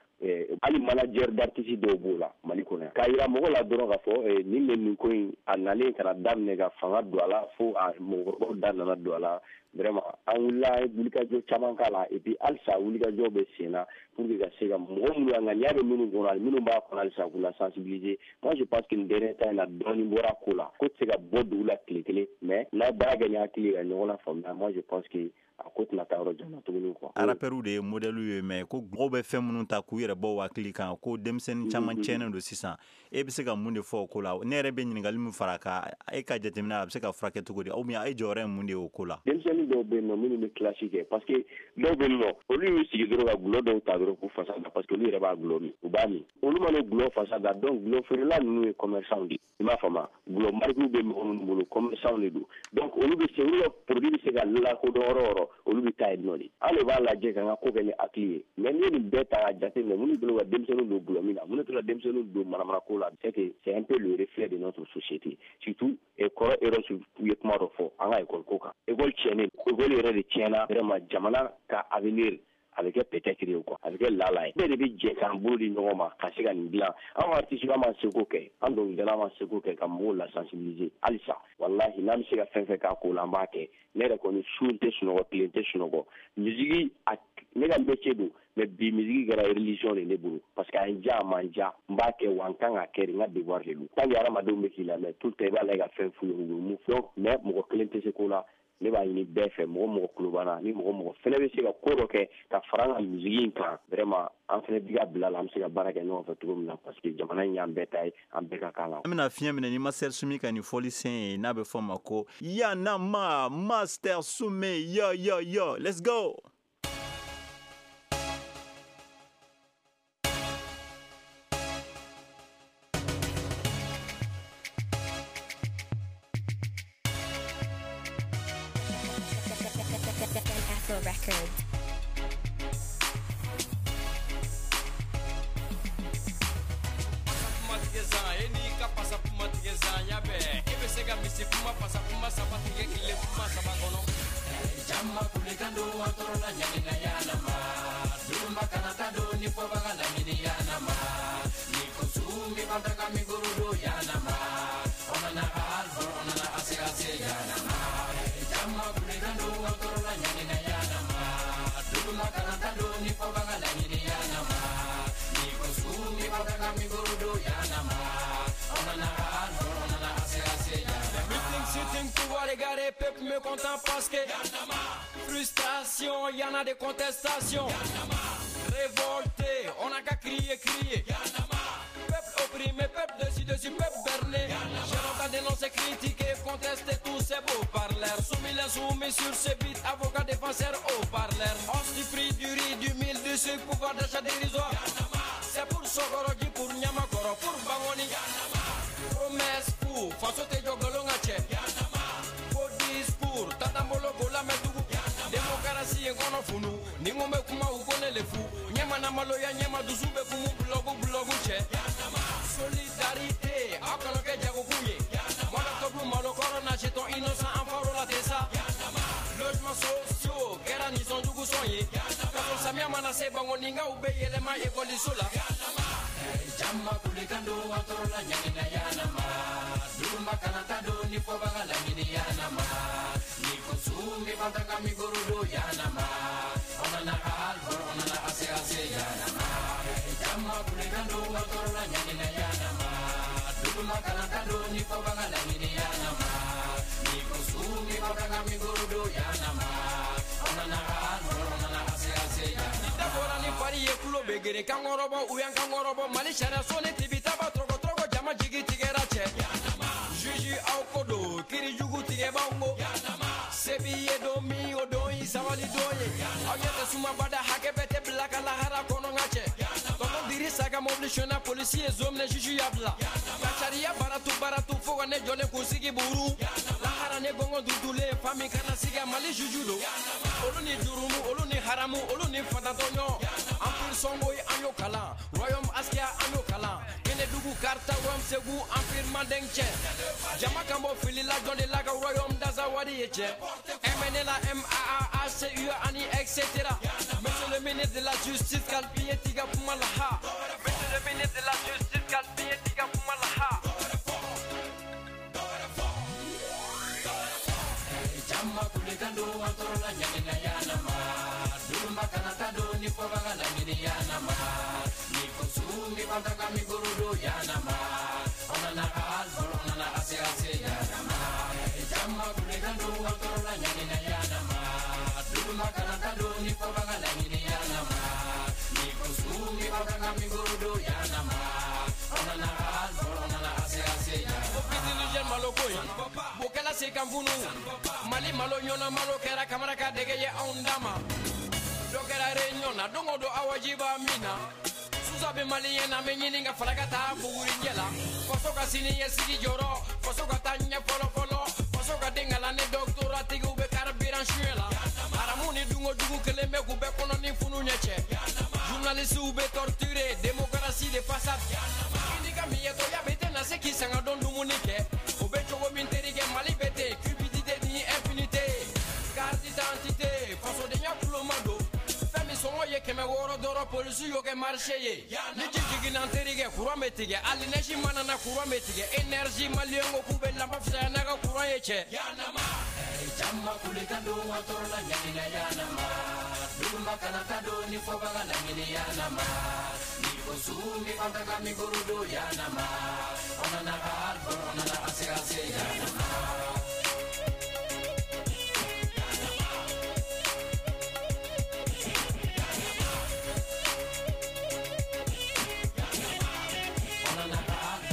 Speaker 5: hali manager d'artiste dɔw b'o la Mali kɔnɔ yan. K'a yira mɔgɔw la dɔrɔn k'a fɔ nin bɛ nin ko in, a nalen ka na daminɛ ka fanga don a la, fo a mɔgɔkɔrɔbaw da nana don a la. Vraiment an wulila, an ye wulikajɔ caman k'a la, et puis halisa wulikajɔ bɛ sen na pour que ka se ka mɔgɔ minnu ŋaniya bɛ minnu kɔnɔ ani minnu b'a kɔnɔ, halisa k'u la sensibiliser. Moi je pense que nin dernier temps in na, dɔɔnin bɔra ko la. Ko tɛ se ka bɔ dugu la tile kelen, mais n'a ye baara kɛ ni hakili ye ka ɲɔgɔn lafaamuya, moi je pense que a ko tɛna taa yɔrɔ jan na tuguni quoi.
Speaker 2: Rappeurs de ye modèle ye, mais ko mɔgɔw bɛ fɛn minnu ta k'u yɛrɛ bɔ u hakili kan, ko denmisɛnnin caman tiɲɛnen don sisan. E bɛ se ka mun de fɔ o ko la? Ne yɛrɛ bɛ ɲininkali min fara kan, e ka jateminɛ, a bɛ se ka furakɛ cogo di, ou bien e jɔyɔrɔ ye mun de ye o ko la?
Speaker 5: Denmisɛnnin dɔw bɛ yen nɔ minnu bɛ clash kɛ, parce que dɔw bɛ yen nɔ, olu y'u sigi dɔrɔn ka gulɔ dɔw ta dɔrɔn k'u fasa da, parce que olu yɛrɛ b'a gulɔ min, u b'a min. Olu mana gulɔ fasa da, donc gulɔ feerela ninnu ye commerçant de ye, i m'a faamu? Gulɔ marque bɛ mɔgɔ minnu bolo, commerçant de don. Donc olu bɛ se, olu ka produit bɛ se ka lakodɔn yɔrɔ o yɔrɔ, olu bɛ taa yen nɔ de. An de b'a lajɛ k'an ka ko kɛ ni hakili ye. Mais n'i ye nin bɛɛ ta k'a jateminɛ, minnu bolo ka denmisɛnninw don gulɔ min na, minnu tora denmisɛnninw don manamanako la, c'est que c'est un peu le reflet de notre société. Surtout kɔrɔ Eros ye kuma dɔ fɔ an ka école ko kan. École tiɲɛnen, école yɛrɛ de tiɲɛna vraiment. Jamana ka avenir a bɛ kɛ peut-être ye quoi, a bɛ kɛ lala ye. Bɛɛ de bɛ jɛ k'an bolo di ɲɔgɔn ma ka se ka nin dilan. An ka artiste, an m'an seko kɛ, an dɔnkilidala m'an seko kɛ ka mɔgɔw la sensibiliser halisa. Walahi, n'an bɛ se ka fɛn fɛn k'a ko la, an b'a kɛ. Ne yɛrɛ kɔni, su n tɛ sunɔgɔ, tile n tɛ sunɔgɔ. Musique a ne ka métier don, mais bi musique kɛra religion de ne bolo, parce que a ye n diya, a ma n diya, n b'a kɛ, wa n kan ka kɛ de, n ka devoir de don. Tant que hadamadenw bɛ k'i lamɛn tout le temps, i b'a lajɛ ka fɛn f'u ye, u bɛ mun fɔ. Mais mɔgɔ kelen tɛ se ko la. Ne b'a ɲini bɛɛ fɛ, mɔgɔ mɔgɔ tulo b'an na, ni mɔgɔ mɔgɔ fɛnɛ bɛ se ka ko dɔ kɛ ka fara an ka musique in kan, vraiment an fɛnɛ bi ka bila la, an bɛ se ka baara kɛ ɲɔgɔn fɛ cogo min na, parce que jamana in y'an bɛɛ ta ye, an bɛɛ ka kan la.
Speaker 2: An bɛna fiɲɛ minɛ ni Master Soumy ka nin fɔlisen ye, n'a bɛ fɔ ma ko Yanama Master Soumy, yo yo yo, let's go.
Speaker 13: Records.
Speaker 3: Peuple mécontent parce que frustration, y'en a des contestations. Révolté, on a qu'à crier, crier. Peuple opprimé, peuple dessus, dessus, peuple berné. J'ai longtemps dénoncé, critiqué, contesté tous ces beaux parleurs. Soumis les soumis sur ce beat, avocat défenseur au parleur. Hausse du prix du riz, du mil, du sucre, pouvoir d'achat dérisoire. C'est pour Sokoroji, pour Nyamakoro, pour Bangoni. Promesse pour Faso te jogolonga che. Discours, tatambolo gola medugu. Démocratie ngono funu, ni ngombe kuma ukone lefu. Nyema na maloya nyema dusu be kumu blogu blogu che. Solidarité, akalo ke jago kunye. Mwana tobu malo corona jeton innocent enfant la tesa. Logements sociaux, kera ni son jugu sonye. Kaso samia manase bango ninga ube yelema ekoli sola. Jamma kulikando watorola nyani na yanama. Duma kanata do ni fobaga lamini yanama. Ni konsumi bataka migurudo yanama. Onana albo onana ase ase yanama. Jamma kulikando watorola nyani na yanama. Duma kanata do ni fobaga lamini yanama. Ni konsumi bataka migurudo yanama. Onana albo onana ase ase yanama. Dabora ni fari ye kulo begere kangorobo uyan kangorobo mali sariya soni tibitaba trogo trogo jama jigi tigera cɛ. Juge aw ko don kiri jugu tigɛ b'anw ko. Se b'i ye don min o don y'i sabali don ye. Aw ɲɛ tɛ sumabada hakɛ bɛɛ tɛ bila ka lahara kɔnɔ n ka cɛ. Tonton Dirisa ka mobili sonyɛna polisi ye zon minɛ juge y'a bila. Ka sariya baratu baratu fo ka ne jɔlen k'u sigi buru. Lahara ne gɔngɔn dutulen fa min kana sigi a Mali juge don. Olu ni jurumu olu ni haramu olu ni fatantɔɲɔ. Empire Songoyi an y'o kalan. Royaume Askia an y'o kalan. Kenedugu Karta Royaume Segu Empire Mandeng cɛ. Jama kan bɔ fili la jɔn de la ka Royaume Dazawadi ye cɛ. M N L A M A A H C U ani et cetera. Monsieur le ministre de la justice Kalpiye tiga kuma la ha. Monsieur le ministre de la justice Kalpiye tiga kuma la ha. Jamma kulikando watorola nyani na yanama. Duma kanata do ni fobaga lamini yanama. Ni konsumi bataka migurudo yanama. Onana albo onana ase ase yanama. Jamma kulikando watorola nyani na yanama. Duma kanata do ni fobaga lamini yanama. Ni konsumi bataka migurudo yanama. Onana albo onana ase ase yanama. Opitini malo koyi. Bokala se kan funu. Mali malo ɲɔna malo kɛra kamara ka dege ye anw dama. Dɔ kɛra réunion na don o don awaji b'a min na. Susa bɛ maliyɛn na n bɛ ɲini ka fara ka taa bugurijɛ la. Faso ka sini ɲɛsigi jɔrɔ, faso ka taa ɲɛ fɔlɔ fɔlɔ. Faso ka den kalan ni doctorat tigiw bɛ carburant suɲɛ la. Haramu ni dungo jugu kelen bɛ k'u bɛɛ kɔnɔ ni funu ɲɛ cɛ. Journalistes bɛ torturer, démocratie de façade. I n'i ka miyɛtɔya bɛ tɛna se k'i sanga dɔn dumuni kɛ. O bɛ cogo min terikɛ Mali bɛ ten, cupidité ni impunité. Carte d'identité, fasodenya kuloma don. Fɛn min sɔngɔ ye kɛmɛ wɔɔrɔ dɔrɔn polisi y'o kɛ marché ye. Ni ji jiginna n terikɛ courant bɛ tigɛ, hali neige mana na courant bɛ tigɛ. Énergie maliyɛn ko k'u bɛ lanpa fisaya n'a ka courant ye cɛ. Jamma kulikando watorola nyani na yanama. Duma kanata do ni fobaga lamini yanama. Ni konsumi bataka migurudo yanama. Onana albo onana ase ase yanama.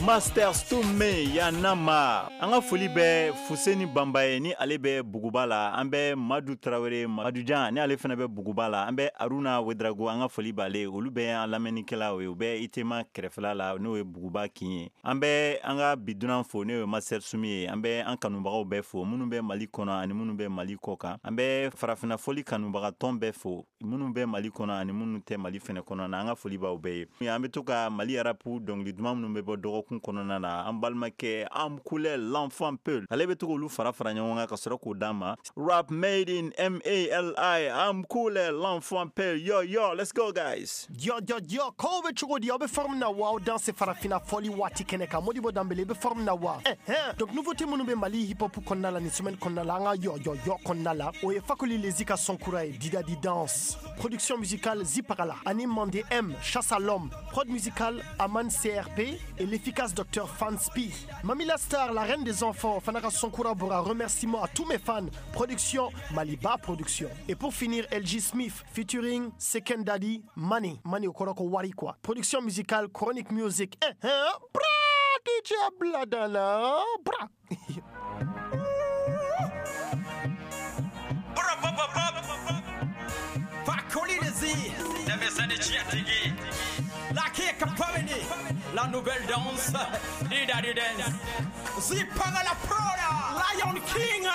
Speaker 2: Master Stume Yanama. An ka foli bɛ Fuseni Banba ye, ni ale bɛ Buguba la. An bɛ Madu Tarawele, Madu Jan, ni ale fana bɛ Buguba la. An bɛ Aruna Wedrago, an ka foli b'ale. Olu bɛ an lamɛnnikɛlaw ye, u bɛ Itema kɛrɛfɛla la, n'o ye Buguba kin ye. An bɛ an ka bi dunan fo, n'o ye Master Sumi ye. An bɛ an kanubagaw bɛɛ fo, minnu bɛ Mali kɔnɔ ani minnu bɛ Mali kɔ kan. An bɛ farafinna foli kanubaga tɔn bɛɛ fo, minnu bɛ Mali kɔnɔ ani minnu tɛ Mali fɛnɛ kɔnɔ na. An ka foli b'aw bɛɛ ye. An bɛ to ka Mali rap dɔnkili duman minnu bɛ bɔ dɔgɔkun kɔnɔna na, an balimakɛ Amkule l'enfant Peul, ale bɛ to k'olu fara fara ɲɔgɔn kan ka sɔrɔ k'o d'an ma. Rap made in M A L I, Amkule l'enfant Peul. Yo yo, let's go guys.
Speaker 13: Yo yo yo, ko bɛ cogo di? Aw bɛ forme na wa? Aw danse farafinna fɔli waati kɛnɛ kan. Modibo Dambele bɛ forme na wa? Eh eh. Donc nouveauté minnu bɛ Mali hip hop kɔnɔna la nin semaine kɔnɔna la, an ka yo yo yo kɔnɔna la, o ye Fakoli Lezi ka son kura ye, Dida Di Danse. Production musicale Ziparala, Anime Mandé M, Chasse à l'homme. Prod musicale Aman C R P et l'efficace docteur Fanspi. Mamila Star, la reine des enfants, Fanara Sonkura Bora, remerciement à tous mes fans. Production Maliba Production. Et pour finir, L G Smith featuring Second Daddy Money. Money au Koroko Wari quoi. Production musicale Chronic Music. Eh, eh, bra, D J Bladala, bra.
Speaker 14: Bra, bra, bra, bra. La nouvelle danse, Dida Di Dance. Zipanga la Prada, Lion King.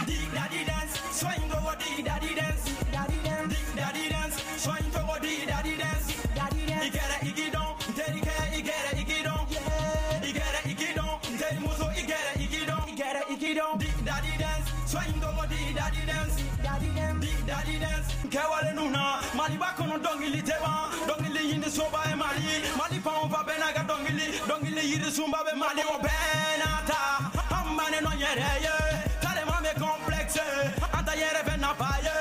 Speaker 14: Dida Di Dance, swing go Dida Di Dance. Dida Di Dance, swing go Dida Di Dance. Igere igidon, terike igere igidon. Igere igidon, teri muso igere igidon. Igere igidon, Dida Di Dance, swing go Dida Di Dance. Dida Di Dance, kewale nuna, Maliba kono dongili teba, dongili yindi soba e Mali, Mali pa on va benaga dongili, dongili yiri sumba be Mali o benata, ambane no yere ye, tale mame complexe, anta yere bena paye,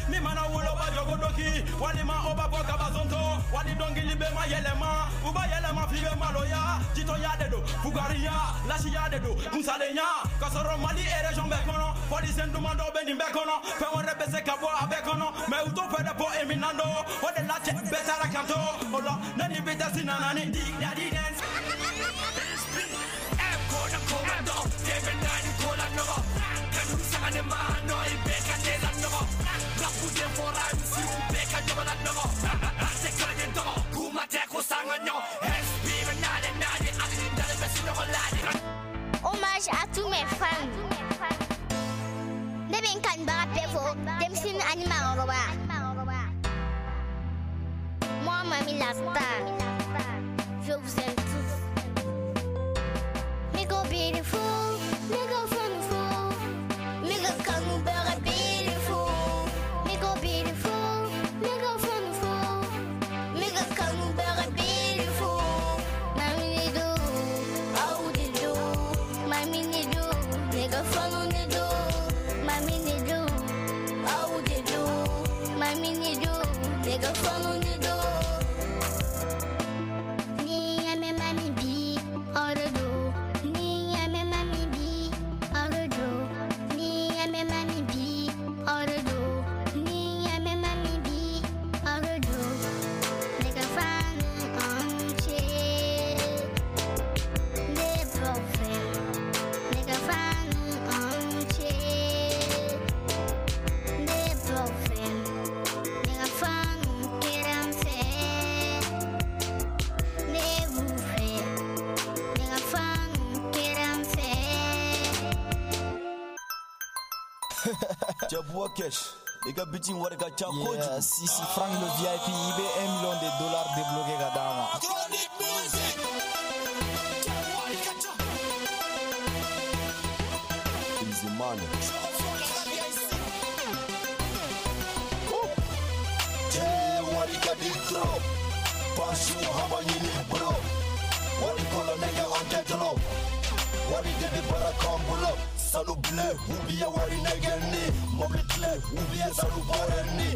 Speaker 14: mi mana wulo ba jogo doki, wali ma oba boka bazonto, wali dongili be ma yelema, uba yelema fibe maloya, jito ya dedo, fugariya, lashiya dedo, musalenya, kasoro Mali e region be kono, polisi nduma do be nimbe kono, fe wore be se ka bo abe kono, me uto fe de po eminando, o de la che be tara kanto, ola nani be ta sinanani, Dida Di Dance.
Speaker 15: M kona komando, seven nine kola no, kanu sangane ma no ibe ka de la no, rapu de fora si ube ka jola no, ase kale do, kuma te ko sanganyo, S P nane nane ali dale be sino la.
Speaker 16: Hommage à tous mes fans. Ne bɛ n kanubaga bɛɛ fo, denmisɛnnin ani maakɔrɔba. Moi, Mami la star, je vous aime tous. Me go beautiful, me go funful, me go kanubaga beautiful. Me go beautiful, me go funful, me go kanubaga beautiful. Mami ni do, aw di do, mami ni do, me go funu ni do. Mami ni do, aw di do, mami ni do, me go funu ni do. Ni ame mami bi, oro do. Ni ame mami bi, oro do. Ni ame mami bi, oro do. Ni ame mami bi, oro do. Ne ka fanu anche, ne profe. Ne ka fanu anche, ne profe. Ne ka fanu keramfe, ne bufe. Ne ka fanu keramfe.
Speaker 17: Jabuwa Cash, i ka biti in wari ka ca kojugu.
Speaker 18: Yeah, si si Frank le V I P, i bɛ un million de dollars débloqué ka d'a ma.
Speaker 17: Easy money. Cɛ wari ka di trop, pasiw haba ɲini bolo. Wari kɔlɔn kɛ an tɛ tɔlɔ. Wari de bɛ baara k'an bolo. Sanu bilen ou bien wari nɛgɛnni. Mobili kile ou bien sanu bɔrɛni.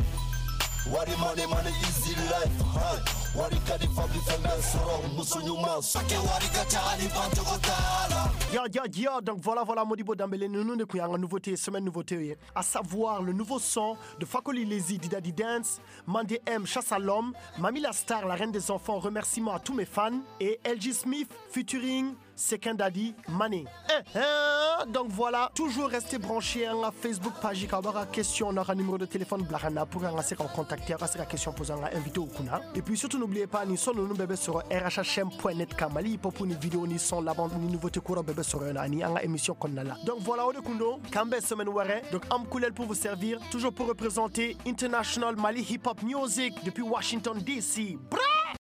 Speaker 17: Wari money money easy life, huh? Wari ka di fa bi fɛn bɛɛ sɔrɔ muso ɲuman Sakɛ wari ka ca hali bancogo t'a la.
Speaker 13: Ya, ya, ya, donc voilà, voilà, Modibo Dembélé, nous nous avons une nouveauté, semaine nouveauté, à savoir le nouveau son de Fakoli Lezi, Didadi Dance, Mandé M, Chasse à l'homme, Mami la Star, la reine des enfants, remerciements à tous mes fans, et L G Smith, featuring Sekendadi Mané. Eh, eh, donc voilà, toujours restez branchés à la Facebook page, quand on aura question, on aura un numéro de téléphone, blahana, pour en contacter, on question posant un invité au kuna. Et puis surtout, n'oubliez pas, ni son nous bébé sur R H H M point net, Mali, pour ni vidéo, ni son, la bande, ni nouveauté courant bébé sur une ni en émission qu'on a là. Donc voilà, on est kundo, Kambe semaine waré, donc Amkoulel pour vous servir, toujours pour représenter International Mali Hip Hop Music depuis Washington D C. Bra!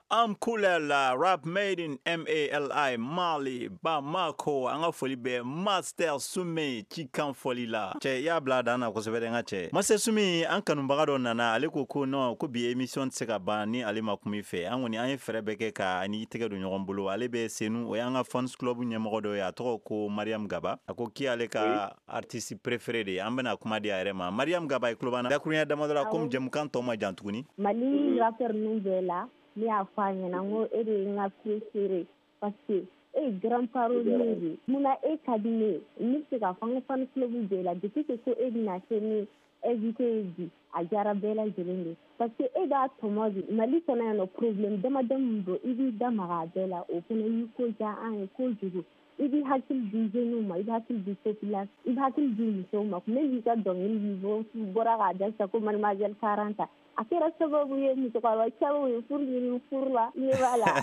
Speaker 2: Amkoulel, rap made in M A L I, Mali, Bamako, an ka foli bɛ Master Soumy cikan fɔli la. Cɛ, i y'a bila a dan na kosɛbɛ dɛ n ka cɛ. Master Soumy, an kanubaga dɔ nana, ale ko ko non, ko bi émission tɛ se ka ban ni ale ma kuma i fɛ. An kɔni an ye fɛɛrɛ bɛɛ kɛ ka ani tɛgɛ don ɲɔgɔn bolo. Ale bɛ Senu, o y'an ka fans club ɲɛmɔgɔ dɔ ye, a tɔgɔ ko Mariam Gaba. A ko k'i ale ka artiste préféré de ye. An bɛna kuma di a yɛrɛ ma. Mariam Gaba, i tulo b'an na. Dakuruɲɛ damadɔ la, komi jɛmukan tɔ ma jan tuguni.
Speaker 19: Mali rappeur ninnu bɛɛ la, ne y'a fɔ a ɲɛna n ko e de ye n ka préféré parce que e ye grand parolier de ye. Munna e ka di ne ye, ne bɛ se k'a fɔ n ka fan club bɛɛ la depuis que ko e bɛna kɛ ne invité ye bi, a diyara bɛɛ lajɛlen de parce que e b'a tɔmɔ de. Mali kɔnɔ yan nɔ problème damadɔ min don, i b'i da maga a bɛɛ la, o fana y'i ko diya an ye kojugu. I b'i hakili di jeunes ma, i b'i hakili di population, i b'i hakili di musow ma. Ne y'i ka dɔnkili bɔra k'a da sisan ko mademoiselle quarante, a kɛra sababu ye musokɔrɔba caman ye furu ɲini furu la, ne b'a la.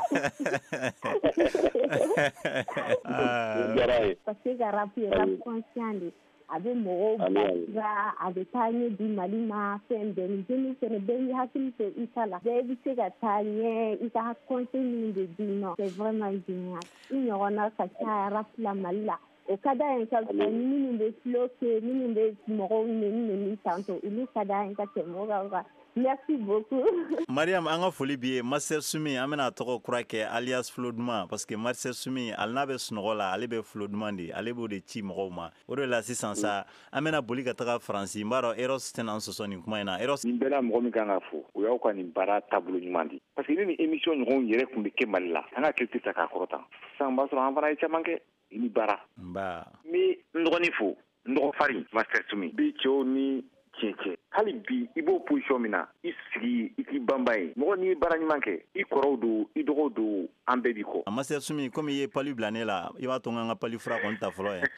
Speaker 19: Parce que ka rap ye rap conscient de, a bɛ mɔgɔw bilasira, a bɛ taa ɲɛ di Mali ma, fɛn bɛɛ. Ni jeunes fɛnɛ bɛɛ b'i hakili to i ta la, bɛɛ bɛ se ka taa ɲɛ, i ka conseil minnu bɛ d'i ma, c'est vraiment génial. I ɲɔgɔnna ka ca rap la Mali la. O ka d'an ye ka fisa minnu bɛ flow kɛ, minnu bɛ mɔgɔw nɛni nɛni tantɔ, olu ka d'an ye ka tɛmɛ o kan quoi. Merci beaucoup.
Speaker 2: Mariam, an ka foli b'i ye. Master Soumy, an bɛna tɔgɔ kura kɛ alias Flo Duman parce que Master Soumy, ale n'a bɛ sunɔgɔ la, ale bɛ Flo Duman de, ale b'o de ci mɔgɔw ma. O de la sisan sa, an bɛna boli ka taga Faransi. N b'a dɔn Eros tɛna an sɔsɔ nin kuma in na. Eros,
Speaker 6: nin bɛɛ la mɔgɔ min kan ka fo, o y'aw ka nin baara taabolo ɲuman de. Parce que ni nin émission ɲɔgɔnw yɛrɛ tun bɛ kɛ Mali la, an ka culture ta k'a kɔrɔta. Sisan b'a sɔrɔ an fana ye caman kɛ. I ni baara.
Speaker 2: Nba.
Speaker 6: N bɛ n dɔgɔnin fo, n dɔgɔ farin Master Soumy. Bi cɛw ni tiɲɛ cɛ. Hali bi i b'o position min na, i sigi i k'i banban ye. Mɔgɔ n'i ye baara ɲuman kɛ, i kɔrɔw don, i dɔgɔw don, an bɛɛ b'i kɔ.
Speaker 2: Master Soumy, komi i ye palu bila ne la, i b'a to n ka n ka palu fura kɔni ta fɔlɔ ye.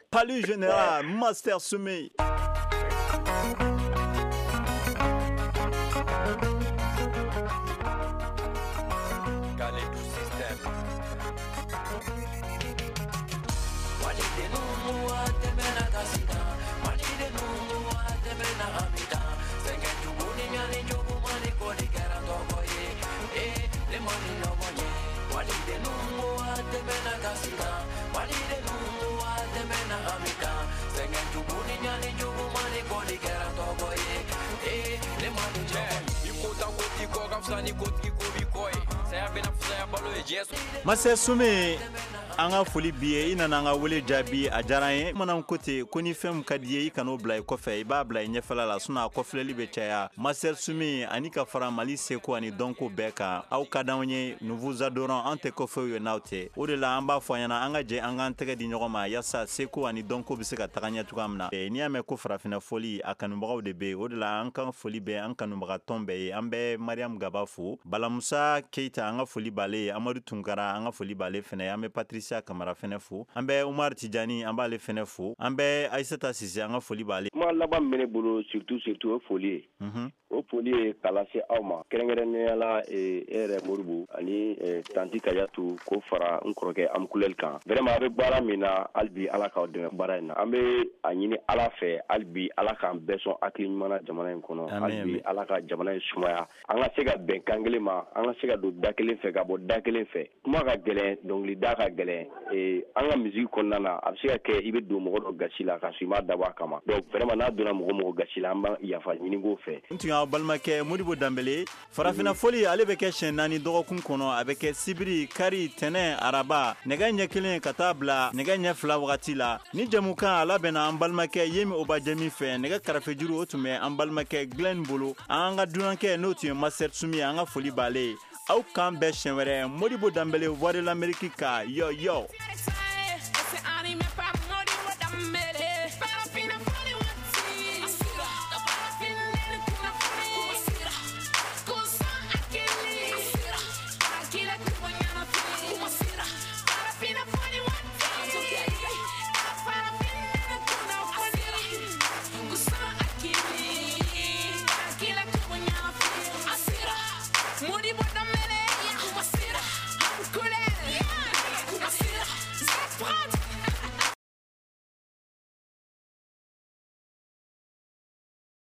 Speaker 2: Palu général, Master Soumy. Master Soumy, an ka foli b'i ye, i nana an ka wele jaabi, a diyara an ye. Bamananw ko ten ko ni fɛn min ka di ye, i kan'o bila i kɔfɛ, i b'a bila i ɲɛfɛla la, sinon a kɔfilɛli bɛ caya. Master Soumy, ani ka fara Mali seko ani dɔnko bɛɛ kan, aw ka d'anw ye, nous vous adorons, an tɛ kɔfɛw ye n'aw tɛ. O de la an b'a fɔ a ɲɛna, an ka jɛ an k'an tɛgɛ di ɲɔgɔn ma yaasa seko ani dɔnko bɛ se ka taga ɲɛ cogoya min na. N'i y'a mɛn ko farafinna fɔli, a kanubagaw de bɛ yen. O de la an ka foli bɛ an kanubaga tɔn bɛɛ ye. An bɛ Mariam Gaba fo, Balamusa Keita, an ka foli b'ale ye, Amadu Tunkara, an ka foli b'ale fɛnɛ ye, an bɛ Patrice Kamara fɛnɛ fo, an bɛ Umar Tijani, an b'ale fɛnɛ fo, an bɛ Aissata Sise, an ka foli b'ale.
Speaker 5: Kuma laban min bɛ ne bolo surtout surtout o foli ye. O foli ye k'a lase aw ma kɛrɛnkɛrɛnnenya la, e yɛrɛ Modibo ani tanti Kajatu, k'o fara n kɔrɔkɛ Amkulɛli kan. Vraiment a bɛ baara min na, hali bi Ala k'aw dɛmɛ baara in na. An bɛ a ɲini Ala fɛ, hali bi Ala k'an bɛɛ sɔn hakili ɲuman na jamana in kɔnɔ. Hali bi Ala ka jamana in sumaya, an ka se ka bɛn kan kelen ma, an ka se ka don da kelen fɛ ka bɔ da kelen fɛ. Kuma ka gɛlɛn, dɔnkilida ka gɛlɛn, an ka musique kɔnɔna na, a bɛ se ka kɛ i bɛ don mɔgɔ dɔ gasi la k'a sɔrɔ i m'a dabɔ a kama. Donc vraiment n'a donna mɔgɔ mɔgɔ gasi la, an b'a yafa ɲini k'o fɛ.
Speaker 2: N tun y'aw balimakɛ Modibo Danbele. Farafinna fɔli, ale bɛ kɛ siɲɛ naani dɔgɔkun kɔnɔ. A bɛ kɛ sibiri, kari, tɛnɛn, araba, nɛgɛ ɲɛ kelen ka taa bila nɛgɛ ɲɛ fila wagati la. Ni jɛmukan a labɛnna an balimakɛ Yemi Obajemi fɛ. Nɛgɛ karafejuru o tun bɛ an balimakɛ Glenn bolo. An ka dunankɛ n'o tun ye Master Soumy, an ka foli b'ale ye. Aw k'an bɛn siɲɛ wɛrɛ. Modibo Danbele, Voix de l'Amérique ka, yo yo.
Speaker 9: Satisfied.